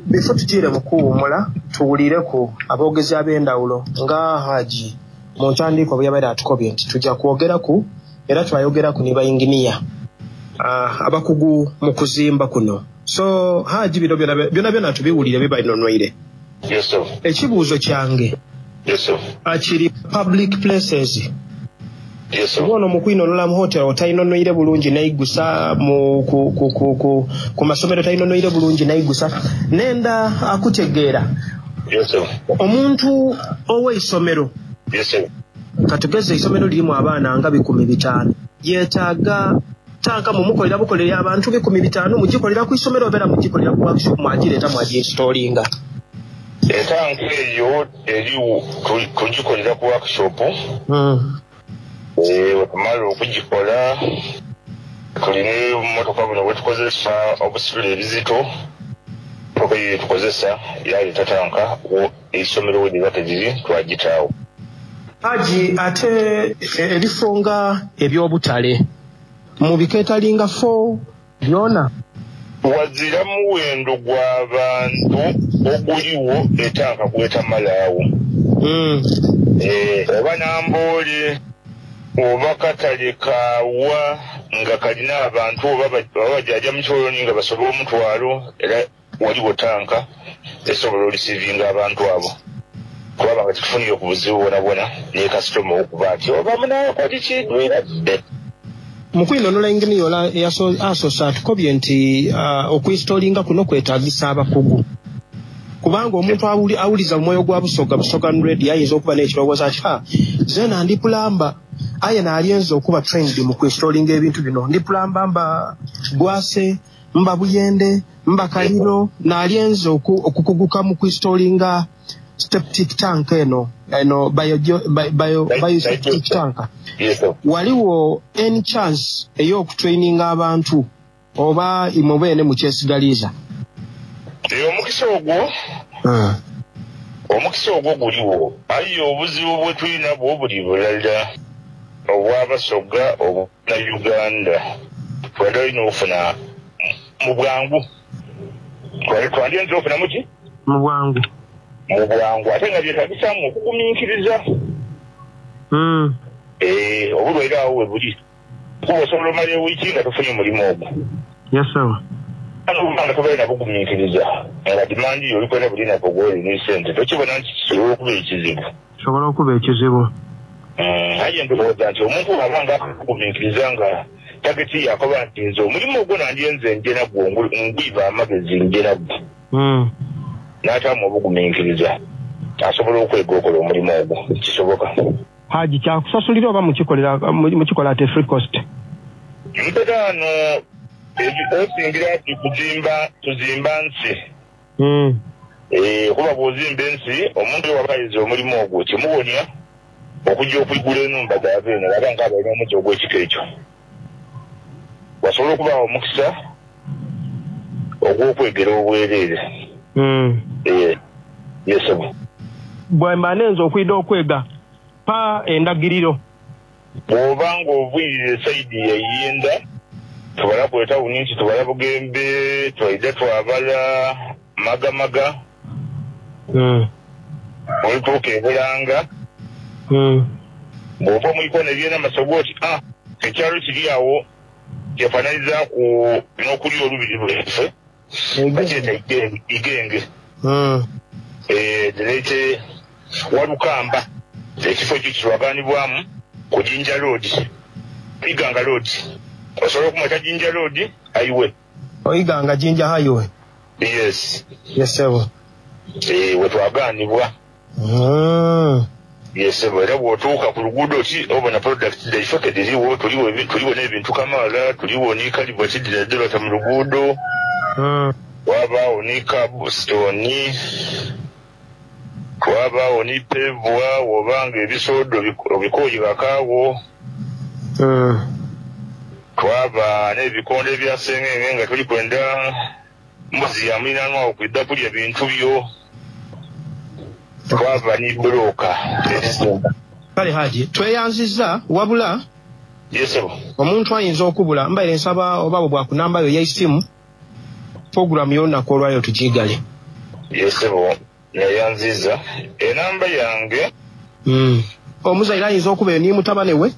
Bifo tugiire mu kuwumula tuwulireku aboogezi ab'endawulo nga Haji mu ntandikwa bwe yabaire atukobye nti tujja kwogeraku era twayogeraku ne bayinginiya uh, abakugu mu kuzimba kuno. So Haji bino byona byona byona tubiwulire bibainonweire. Yes, sir. Ekibuuzo kyange Yes, sir. akiri public places. Yes, sir. Ono mu kwinonola mu hotel otayinonoire bulungi naigusa mu ku, ku, ku, ku, ku masomero tayinonoire bulungi naigusa nenda akutegeera. Yes, sir. Omuntu ow'eisomero Yes, sir. katugeze eisomero lirimu abaana nga bikumi bitaano, yeetaaga tanka mumukolera bukolera abantu bikumi bitaano, mugikolera ku isomero obeera mugikolera ku workshop mwagireeta mwagiinstollinga? Etanka eyo eriwo tugikolera ku workshop. Mm. Eh, wetumala okugikola tulina obumotoka buno bwetukozesa obusitula ebizito, motoka eyo yetukozesa yaleeta tanka eisomero we liba teriri twagitaawo. Haji, ate ebifo nga eby'obutale mu bikeetalinga fo byona wazira muwendo gwa bantu oguliwo etanka gwetamalaawo. Mm. Eh, oba Namboole oba katale kaawa nga kalina abantu oba bajaja mu kyoloni nga basobola omutwalo, era waliwo tanka esobola olisiivinga abantu abo kubaba nga tetufunire ku buzibu bwona bwona ne kasitoma okuba nti oba munaakoti kigwiradde. Mu kwinonola inginiya ola asoose atukobye nti uh, okuinstolinga kuno kwetaagisa abakugu, kubanga omuntu awuli, awuliza omwoyo gwa Busoga Busoga Radio ayinza okuba n'ekirowoozo ati ha zeena ndi pulamba aye naalyenza okuba trained mu kuinstolinga ebintu bino, ndi pulamba mba Bwase mba Buyende mba Kaliro, naalyenza okukuguka mu kuinstolinga septic tank eno eno bio, bio, bio septic tank. Yes, sir. Waliwo any chance ey'okutraininga abantu oba imwe beene mukyesigaliza? Omukisa ogwo uh. omukisa ogwo guliwo, aye obuzibu bwe tulina bwo buli bulala obw'Abasoga obwa Uganda twali olina okufuna mu bwangu, twandiyinza okufuna muki mu bwangu mu bwangu ate nga byetagisaamu okugumiikiriza. Mm. Eh, obulwaire awo we buli kuba osobola omala ewiiki nga tofunye omulimu ogwo. Yes, sir. Nga tobaire nabugumiikiriza nga dimandi yo olikwenda buli nako gwoli sente tokibona nti kisobola okuba ekizibu. Kisobola okuba ekizibu. Aye ndowooza nti omuntu bw'aba nga akugumiikiriza nga tageti yakoba nti nze omulimu ogwo nandyenze nje nagwo ngwiba amagezi nje nagwo. Mm. N'ataamu obugumiikiriza asobola okwega okola omulimu ogwo, kisoboka. Haji, kyakusasulira oba mukikolera mukikola at a free cost? Mperaano osingira ati kuzimba, tuzimba nsi. Mm. Eh, kuba bw'ozimba ensi, omuntu oyo waba ayize omulimu ogwo kimuwonya okujja okwigula enumba z'abeene baba nga balina omuzi ogw'ekika ekyo, wasobola okubaawo omukisa ogw'okwegera obwereere. Mm. Eh, yesebo. Bwemba nenza okwida okwega pa endagiriro. Bw'oba ng'ovuyirira esayidi yayinda tubala ku etawuni nti tubala Bugembe, twaida twabala Magamaga. Mm. Olutuuka ebulanga. Mm. Bw'ova mu ikoona ebyena masogo oti ah ekyalo kiri awo kyefaananyizaaku n'okulya olubiri lweffe bakyeta Igenge. Mm. Eh, direete Walukamba, ekifo ekyo kitwaganibwamu ku Jinja Road, Iganga Road. Osobola okumweta Jinja Road Highway. Oiganga Jinja Highway. Yes. Yes sebo. Eh, wetwaganibwa. Mm. Yes sebo, era bw'otuuka ku luguudo oti obona product zaife kediriwo, tuliwo tuliwo n'ebintu kamaala, tuliwo ni kaliboti dira mu luguudo. Mm. Wabaawo ni cobblestone, wabaawo ni pevwa, wobanga ebisoodo obikooyi bakaawo. Mm. Twaba n'ebikonde ebya sengenge nga tuli kwenda mbuzi ya mulinanwa okwidda kulya bintu byo. Twaba ni bulooka. Kale Haji, tweyanzizza wabula. Yes sebo. Omuntu ayinza okubula mbaire nsaba oba bwe bwakunambayo y'essimu programu y'olunaku olwaleero tugigale. Yes sebo, neyanziza enamba yange. Mm. Omuzaire ayinza okuba ni mutabane we.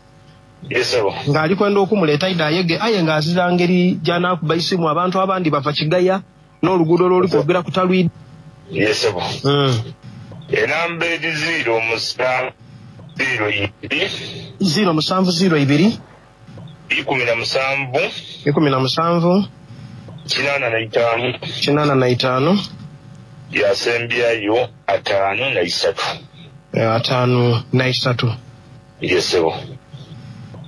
Yes sebo. Ng'ali kwenda okumuleeta aida ayege aye ng'azira ngeri gy'anaakuba isimu, abantu abandi bava Kigaya n'oluguudo lw'oli kwogera ku Talwidi. Yes sebo. Mm. Enamba eri ziro musanvu ziro ibiri ziro musanvu ziro ibiri ikumi na musanvu ikumi na musanvu kinaana na itaano kinaana na itaano yasembyayo ataano na isatu ataano na isatu. Yes sebo.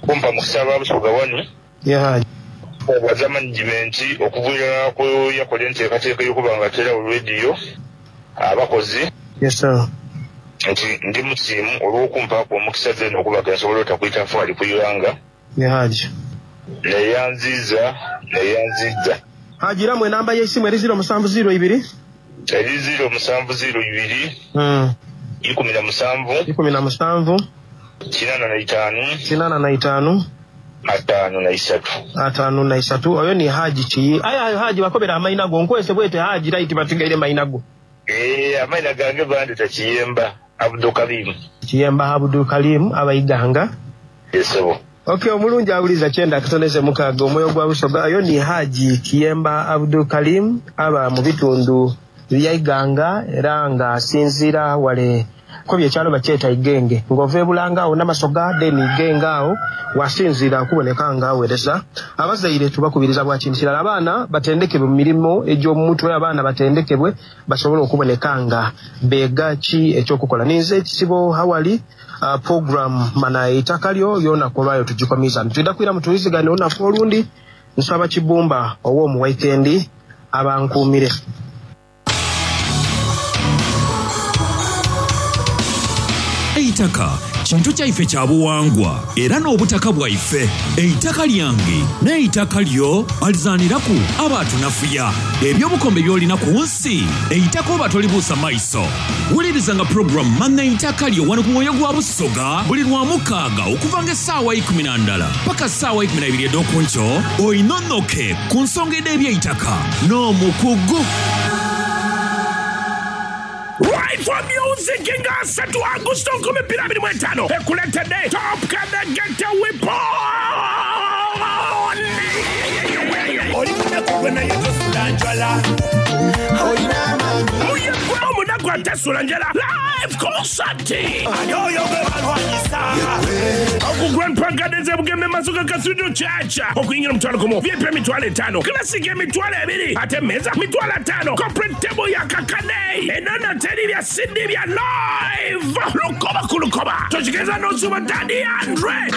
Kumpa mukisa ba Busoga wano. Yeah. Obwaza management okuvuira ku yakola enteekateeka y'okuba nga tera radio abakozi. Yes sir. Nti ndi musiimu olw'okumpaako omukisa zeno okuba nga nsobola otakwita nfaali ku Ibanga. Yeah, Haji. Neyanziza, neyanziza. Haji, ramu enamba y'essimu eri ziro musanvu ziro ibiri eri ziro musanvu ziro ibiri mm. ikumi na musanvu ikumi na musanvu kinaana na itaano kinaana na itaano ataano na isatu ataano na isatu. Oyo ni Haji ki? Aye ayo Haji bakobera amaina go nkwese bwete Haji right batigaire maina go. Eh, amaina gange bandita Kiyemba Abdul Karim. Kiyemba Abdul Karim abaiganga. Yes sebo. Okay, omulungi awuliza kyenda akatoneze mukaaga omwoyo gwa Busoga. Oyo ni Haji Kiyemba Abdul Karim aba mu bitundu bya Iganga era nga asinziira wale ko byekyalo bakyeta Igenge ng'ova ebulanga awo n'Amasoga then Igenge awo wasinziira okuboneka nga aweereza. Abazaire tubakubiriza bwa kintu kirala, abaana batendekebwe mu mirimu egy'omumutwe, abaana batendekebwe basobole okuboneka nga beega ki ekyokukola. Ninze ekisibo hawali uh, program mana eitaka lyo y'olunaku olwayo tugikomiza ntwidda kwira mutulizigane olunaku olundi. Nsaba Kibumba ow'omu weekend abankuumire. Eitaka kintu kyaife kya buwangwa era n'obutaka bwaife. Eitaka lyange n'eitaka lyo alizaniraku abatunafuya ebyobukombe by'olina ku nsi. Eitaka oba tolibuusa maiso. Wulirizanga program Mana Eitaka Lyo wano ku mwoyo gwa Busoga buli lwa mukaaga okuva ng'essaawa ikumi na ndala paka ssaawa ikumi na ibiri ed'okunkyo oinonoke ku nsonga ed'ebyeitaka n'omukugu. Right for music nga asatu Agusto nkumi bbiri abiri mu etaano ekuleetedde Top Kadagete Weapon. Oli munaku gwe naye tosula njala. Muyegula omunaku Omunaku atasula njala live concert. Ani oyo gwe balwanyisa? Ku Grand Park Gardens e Bugembe Masuka Cathedral Church. Okuyingira omutwalo gumu, V I P emitwalo etaano, Classic emitwalo ebiri, ate emmeeza mitwalo ataano, corporate table ya kakade. Enono teri bya C D bya live. Lukoba ku lukoba. Tokigeza n'osuba Daddy Andre.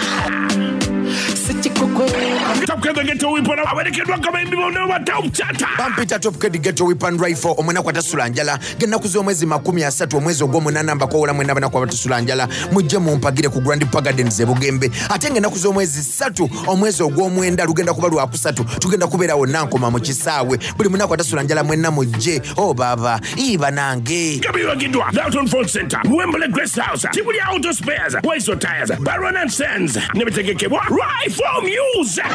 Top Kid Ghetto Whip awerekeddwa abayimbi bonna ba Top Chata. Bampita Top Kid Ghetto Whip and Rifle, omunaku atasula njala. Ng'ennaku z'omwezi makumi asatu omwezi ogw'omunaana mbakoowola mwenna abanaku abatasula njala, mujje mumpagire ku Grand Park Gardens e Bugembe. Ate ng'ennaku z'omwezi ssatu omwezi ogw'omwenda lugenda kuba lwakusatu, tugenda kubeera wonna Nkoma mu kisaawe. Buli munaku atasula njala mwenna mujje. Oh baba, ii banange. Gabiwagiddwa Dalton Phone Center, Wembley Grace House, Tibuli Auto Spares, Waiso Tires, Baron and Sons, ne bitegekebwa Rifle Music.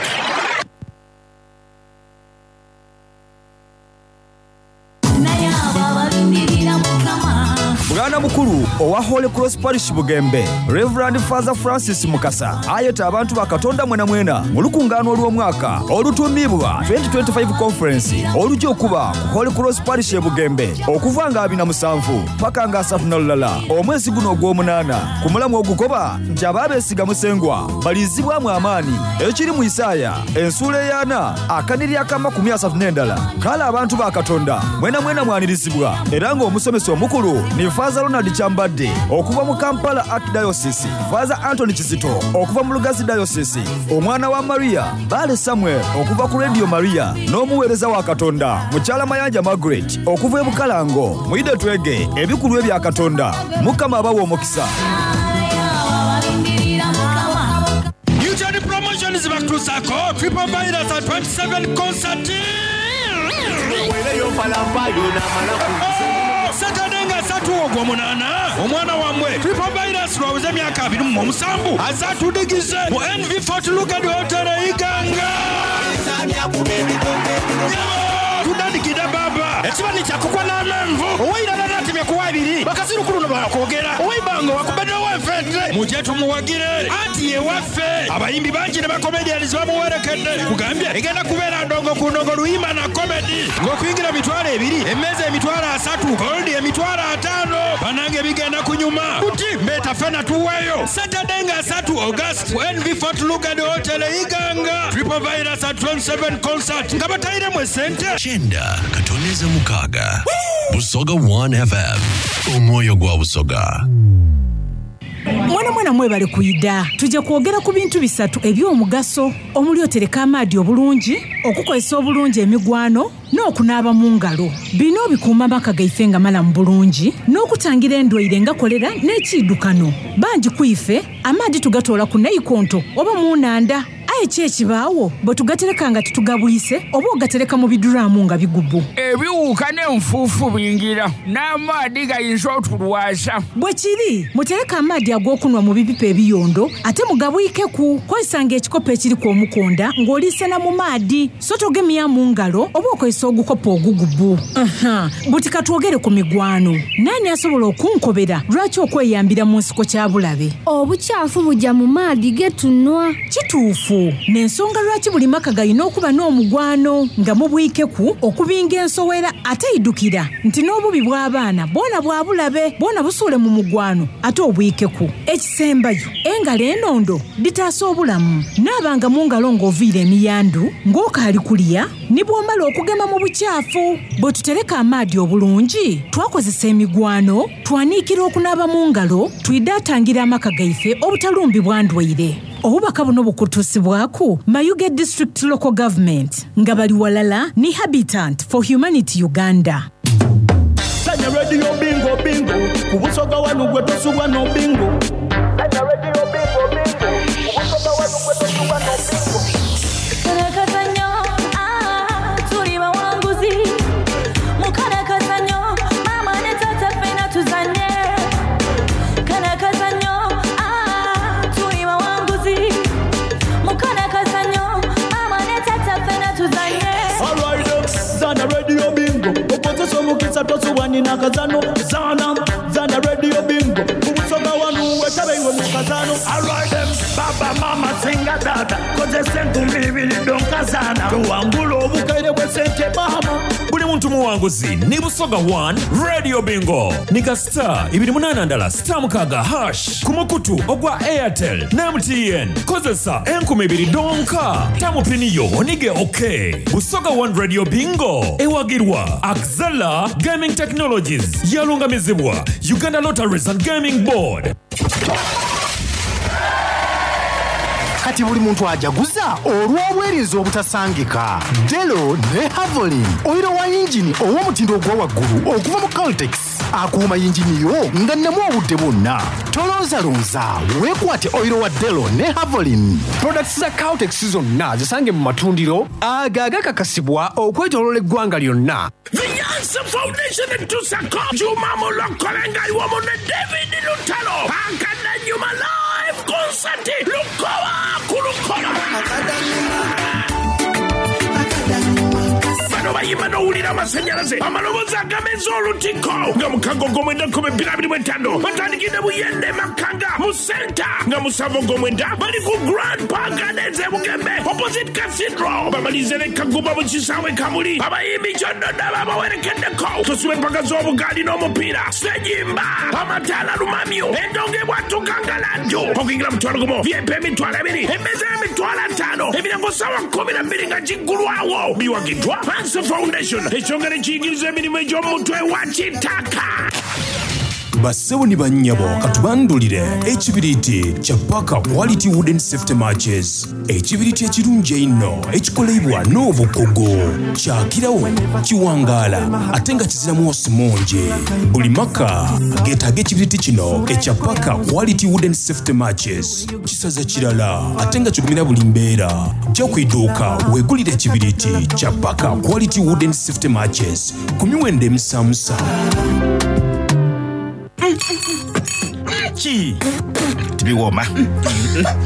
Bwana mukulu owa Holy Cross Parish Bugembe, Reverend Father Francis Mukasa ayeta abantu ba Katonda mwena mwena mu lukungaano olw'omwaka olutuumibwa twenty twenty-five Conference olujja okuba ku Holy Cross Parish e Bugembe okuva nga abiri na musanvu paka nga asatu na lulala omwezi guno ogw'omunaana ku mulamu ogukoba nti abaabeesiga Musengwa balizibwamu amaanyi ekiri mu Isaaya ensuula ey'ana akaniri ak'amakumi asatu n'endala. Kale abantu ba Katonda mwena mwena mwanirizibwa era ng'omusomesa omukulu ni Father Ronald Kyambadde okuva mu Kampala Archdiocese, Father Anthony Kizito okuva mu Lugazi Diocese, omwana wa Maria Bale Samuel okuva ku Radio Maria n'omuweereza wa Katonda Mukyala Mayanja Margaret okuva e Bukalango. Mwide twege ebikulu ebya Katonda. Mukama abawe omukisa. Newton Promotions bakutuusaako Triple Virus at twenty-seven concert. Saturday nga ssatu ogw'omunaana omwana wammwe Triple Virus lwaweze emyaka abiri mu omusanvu azatudigize mu N V Fort Lugard Hotel e Iganga. Tudandikidde baba ekibani kyakukwa n'amenvu oweirala natemye kuwa ebiri bakazirukulu no bakwogera oweibango wakubeddewo enfente mujje tumuwagire anti ye waffe abayimbi bangi ne bakomedians bamuwerekedde kugambye egenda kubeera ndongo ku ndongo luyimba na komedi ng'okuyingira mitwalo ebiri emmeeza emitwalo asatu goldi emitwalo ataano banange bigenda kunyuma kuti mbeeta ffena tuweeyo Saturday nga asatu August ku N V Fort Lugard Hotel e Iganga Triple Virus at twenty-seven concert nga batayiremu esente Chenda Katoneza Mukaga Busoga one F M Omwoyo gwa Busoga. Mwana mwana mwebale kuyida tujja kwogera ku bintu bisatu eby'omugaso omuli otereka amaadi obulungi, okukozesa obulungi emigwano n'okunaaba mu ngalo. Bino bikuuma amaka gaife nga malamu bulungi n'okutangira endwaire nga kolera n'ekiddukano. Bangi ku ife amaadi tugatoola ku naikonto oba mu nnanda. Aye ki ekibaawo bwe tugatereka nga tetugabwise oba ogatereka mu biduraamu nga bigubu. Ebiwuka n'enfuufu bingira n'amaadi gayinza otulwaza. Bwe kiri mutereke amaadi ag'okunwa mu bipipa ebiyondo ate mugabwikeku. Kozesanga ekikopo ekiriko omukonda ng'oliisena mu maadi so togemya mu ngalo oba okozesa ogukopo ogugubu. Aha, buti katwogere ku migwano. Nani asobola okunkobera lwaki okweyambira mu nsiko kya bulabe? Obukyafu bujja mu maadi ge tunwa. Kituufu. N'ensonga lwaki buli maka galina okuba n'omugwano nga mubwikeku okubinga ensowera ate idukira nti n'obubi bw'abaana bwona bwa bulabe bwona busuule mu mugwano ate obwikeku. Ekisembayo engalo enondo ditaasa obulamu. Naabanga mu ngalo ng'oviira emiyandu ng'okaali kulya ne bw'omala okugema mu bukyafu. Bwe tutereka amaadi obulungi twakozesa emigwano twaniikira okunaaba mu ngalo twidaatangira amaka gaife obutalumbibwa ndwaire. Obubaka buno bukutuusibwako Mayuge District Local Government nga bali walala ni Habitat for Humanity Uganda. Sanya radio bingo bingo ku Busoga wanu gwe tosubwa no bingo. Sanya radio bingo bingo ku Busoga wanu gwe tosubwa no bingo. Karakazanyo, ah, tuli bawanguzi. Mukarakazanyo, mama ne tata ffena tuzanye. Karakazanyo, ah, tuli bawanguzi. Mukarakazanyo, mama ne tata ffena tuzanye. All right, zana radio bingo. Okozesa omukisa tosubwa nina kazano. Zana, zana radio bingo. Ku Busoga wanu wetabe iwe mu kazano. All right, them, baba mama singa tata. Kozesa enkumi ibiri donkazana. Tuwangula obukaire bwe sente mama. Buli Muntu muwanguzi ni Busoga one Radio Bingo. Nika star ibiri munana ndala star mukaga hash ku mukutu ogwa Airtel na M T N. Kozesa enkumi ibiri donka. Tamu piniyo onige okay. Busoga one Radio Bingo. Ewagirwa Axela Gaming Technologies. Yalungamizibwa Uganda Lotteries and Gaming Board. Kati buli muntu ajaguza olw'obwerinzi obutasangika. Delo ne Havolin, oyiro wa yingini ow'omutindo ogwa waggulu okuva mu Caltex akuuma yingini yo nga nnemu obudde bwonna. Tolonzalonza, weekwate oyiro wa Delo ne Havolin. Products za Caltex zonna zisange mu matundiro ago agakakasibwa okwetooloola eggwanga lyonna. The Yansa Foundation etusako Juma Mulokole nga iwomu ne David Lutalo Akadanyuma live concert Lukoba ku Lukoba. Bano bayimba n'owulira amasannyalaze amaloboozi agameza olutiko nga mukago gw'omwenda kkumi bbiri abiri mu etaano batandikidde Buyende Makanga mu senta nga musanvu gw'omwenda bali ku Grand Park Gardens e Bugembe opposite Cathedral bamalize ne Kaguba mu kisaawe Kamuli abayimbi kyonna babawerekeddeko tusibe empaka z'obugaali n'omupiira sejimba amataala lumamyo endongo ebwatuka nga laddu okuyingira mutwalo gumu V I P emitwalo ebiri emmeeza y'emitwalo ataano emiryango ssaawa kkumi na bbiri nga giggulwawo biwagiddwa Hanson Foundation ekyongera ekiyigiriza emirimu egy'omutwe wa kitaka. Bassebo ne bannyabo katubandulire ekibiriiti kya Parker Quality Wooden Safety Matches. Ekibiriiti ekirungi einno ekikolebwa n'obukugu kyakirawo kiwangaala ate nga kiziramu osimungi. Buli maka geetaaga ekibiriiti kino ekya Parker Quality Wooden Safety Matches. Kisaza kirala ate nga kigumira buli mbeera. Jja ku idduuka weegulire ekibiriiti kya Parker Quality Wooden Safety Matches ku miwendo emisamusa. Ki? Tibiwooma.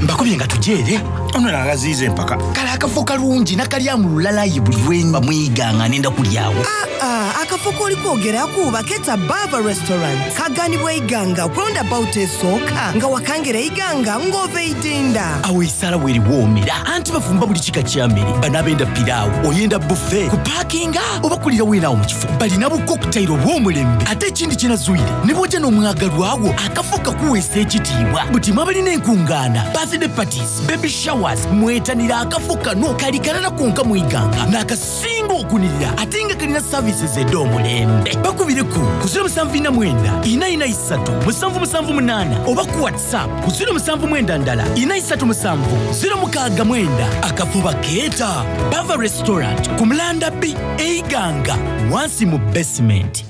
Mbakubye nga tujeere. Ono nagaziiza empaka. Kale akafo kalungi nakalyamu lulalayi buli lwe mwiganga nenda kulyawo. Ah, ah, akafo k'oli kwogeraku baketa Bava Restaurant. Kaganibwa iganga roundabout esooka nga wakangera iganga ng'ova eitinda. Awo esaala weeriwoomera anti bafumba buli kika kya mmere. Bano abenda piraawo, oyenda buffet, kupaakinga oba kulira weenaawo mu kifo. Balina bu cocktail obw'omulembe ate ekindi kye nazuuyire ne bw'ojja n'omwagalwawo akafo kakuweesa ekitiibwa. Buti mwabalina enkungaana, birthday parties, baby showers, mwetanira akafo kano kali kalala konka mwiganga n'akasinga okunirira ate nga kalina services ed'omulembe. Bakubireko ku zero musanvu ina mwenda ina ina isatu musanvu musanvu munaana oba ku WhatsApp ku zero musanvu mwenda ndala ina isatu musanvu zero mukaaga mwenda. Akafo bakeeta Bava Restaurant ku Mulanda B Eiganga wansi mu basement.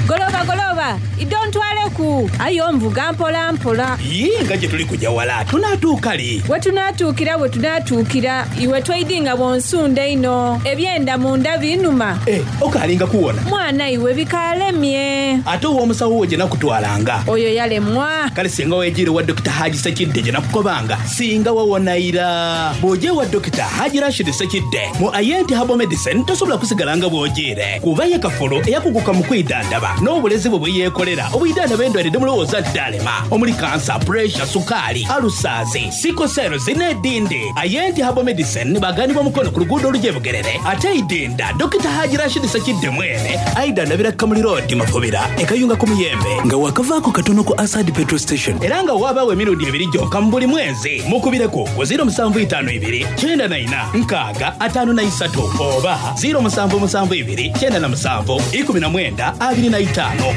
Goloba goloba idontwaleku ayo nvuga mpola mpola. Yee nga gye tuli kujja wala tunaatuuka li? We tunaatuukira we tunaatuukira iwe tweidinga bw'onsunda ino ebyenda munda binuma. Eh, okaalinga kuwona? Mwana iwe bikaalemye. Ate ow'omusawo wo gye nakutwalanga? Oyo yalemwa. Kale singa weejiire wa Dokita Haji Sekidde gye nakukobanga singa wawonayira. Bw'ojja ewa Dokita Haji Rashid Sekidde mu Ayenti Herbal Medicine tosobola kusigala nga bw'ojiire kuba ye kafulu eyakuguka mu kwidandaba n'obulezi bwe bwe yeekolera obuyidandaba endwadde mulowooza nti ddalema omuli kansa, pressure, sukaali, alusaazi, sickle cells n'edindi. Ayenti Herbal Medicine baganibwa mukono ku luguudo olujebugerere ate idinda Dokita Haji Rashid Sekidde mwene ayidandabira Kamuli Road Mafubira ekayunga ku Muyembe nga wakavaako katono ku Asad Petrol Station era nga waabaawo emirundi ebiri gyokka mu buli mwezi. Mukubireko ku zero musanvu itaano ibiri kyenda na ina nkaaga ataano na isatu oba zero musanvu musanvu ibiri kyenda na musanvu ikumi na mwenda abiri na itaano.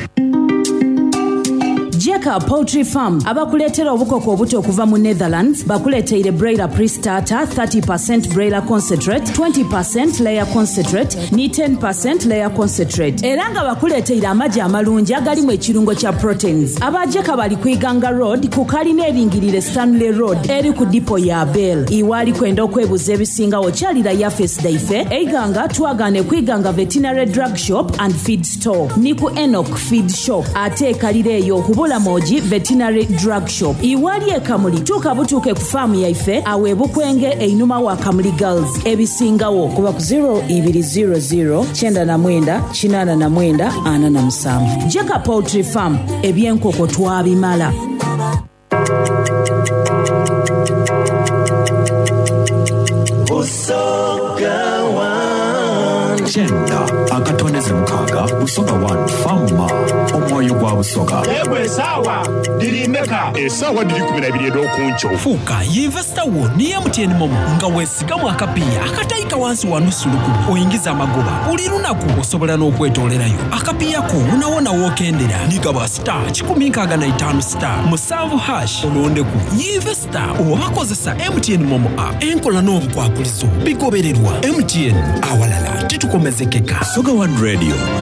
Jeka Poultry Farm abakuleetera obukoko obuto okuva mu Netherlands bakuleeteire broiler pre-starter thirty percent broiler concentrate, twenty percent layer concentrate ni ten percent layer concentrate era nga bakuleeteire amagi amalungi agalimu ekirungo kya proteins. Aba Jeka bali ku Iganga Road ku kalina eringirire Stanley Road eri ku dipo ya Bell. Iwaali kwenda okwebuza ebisingawo kyalira yafesi daife Eiganga twagaane ku Iganga Veterinary Drug Shop and Feed Store ni ku Enoch Feed Shop ate ekalira eyo kubula Moji Veterinary Drug Shop. Iwali ekamuli tuuka butuuke ku faamu yaife awe Bukwenge einuma wa Kamuli Girls. Ebisingawo kuba ku zero ibiri zero zero kyenda na mwenda kinaana na mwenda ana na musanvu. Jeka Poultry Farm ebyenkoko twabimala. Busoga one. Kyenda akatone Busoga One Fama omwoyo gwa Busoga. Yegwe esaawa diri meka? Esaawa diri kumi na ibiri ed'okunkyo. Fuuka yinvesita wo ni M T N MoMo nga weesigamu akapiiya akatayika wansi wa nusu lukumi, oyingiza amagoba buli lunaku. Osobola n'okwetoolerayo akapiiya ko wonawona wookendera. Nigaba star kikumi nkaaga na itaano star musanvu hash, olondeku yinvesita oba kozesa M T N MoMo app. Enkola n'obukwakulizo bigobererwa. M T N, awalala titukomezekeka. Busoga One Radio.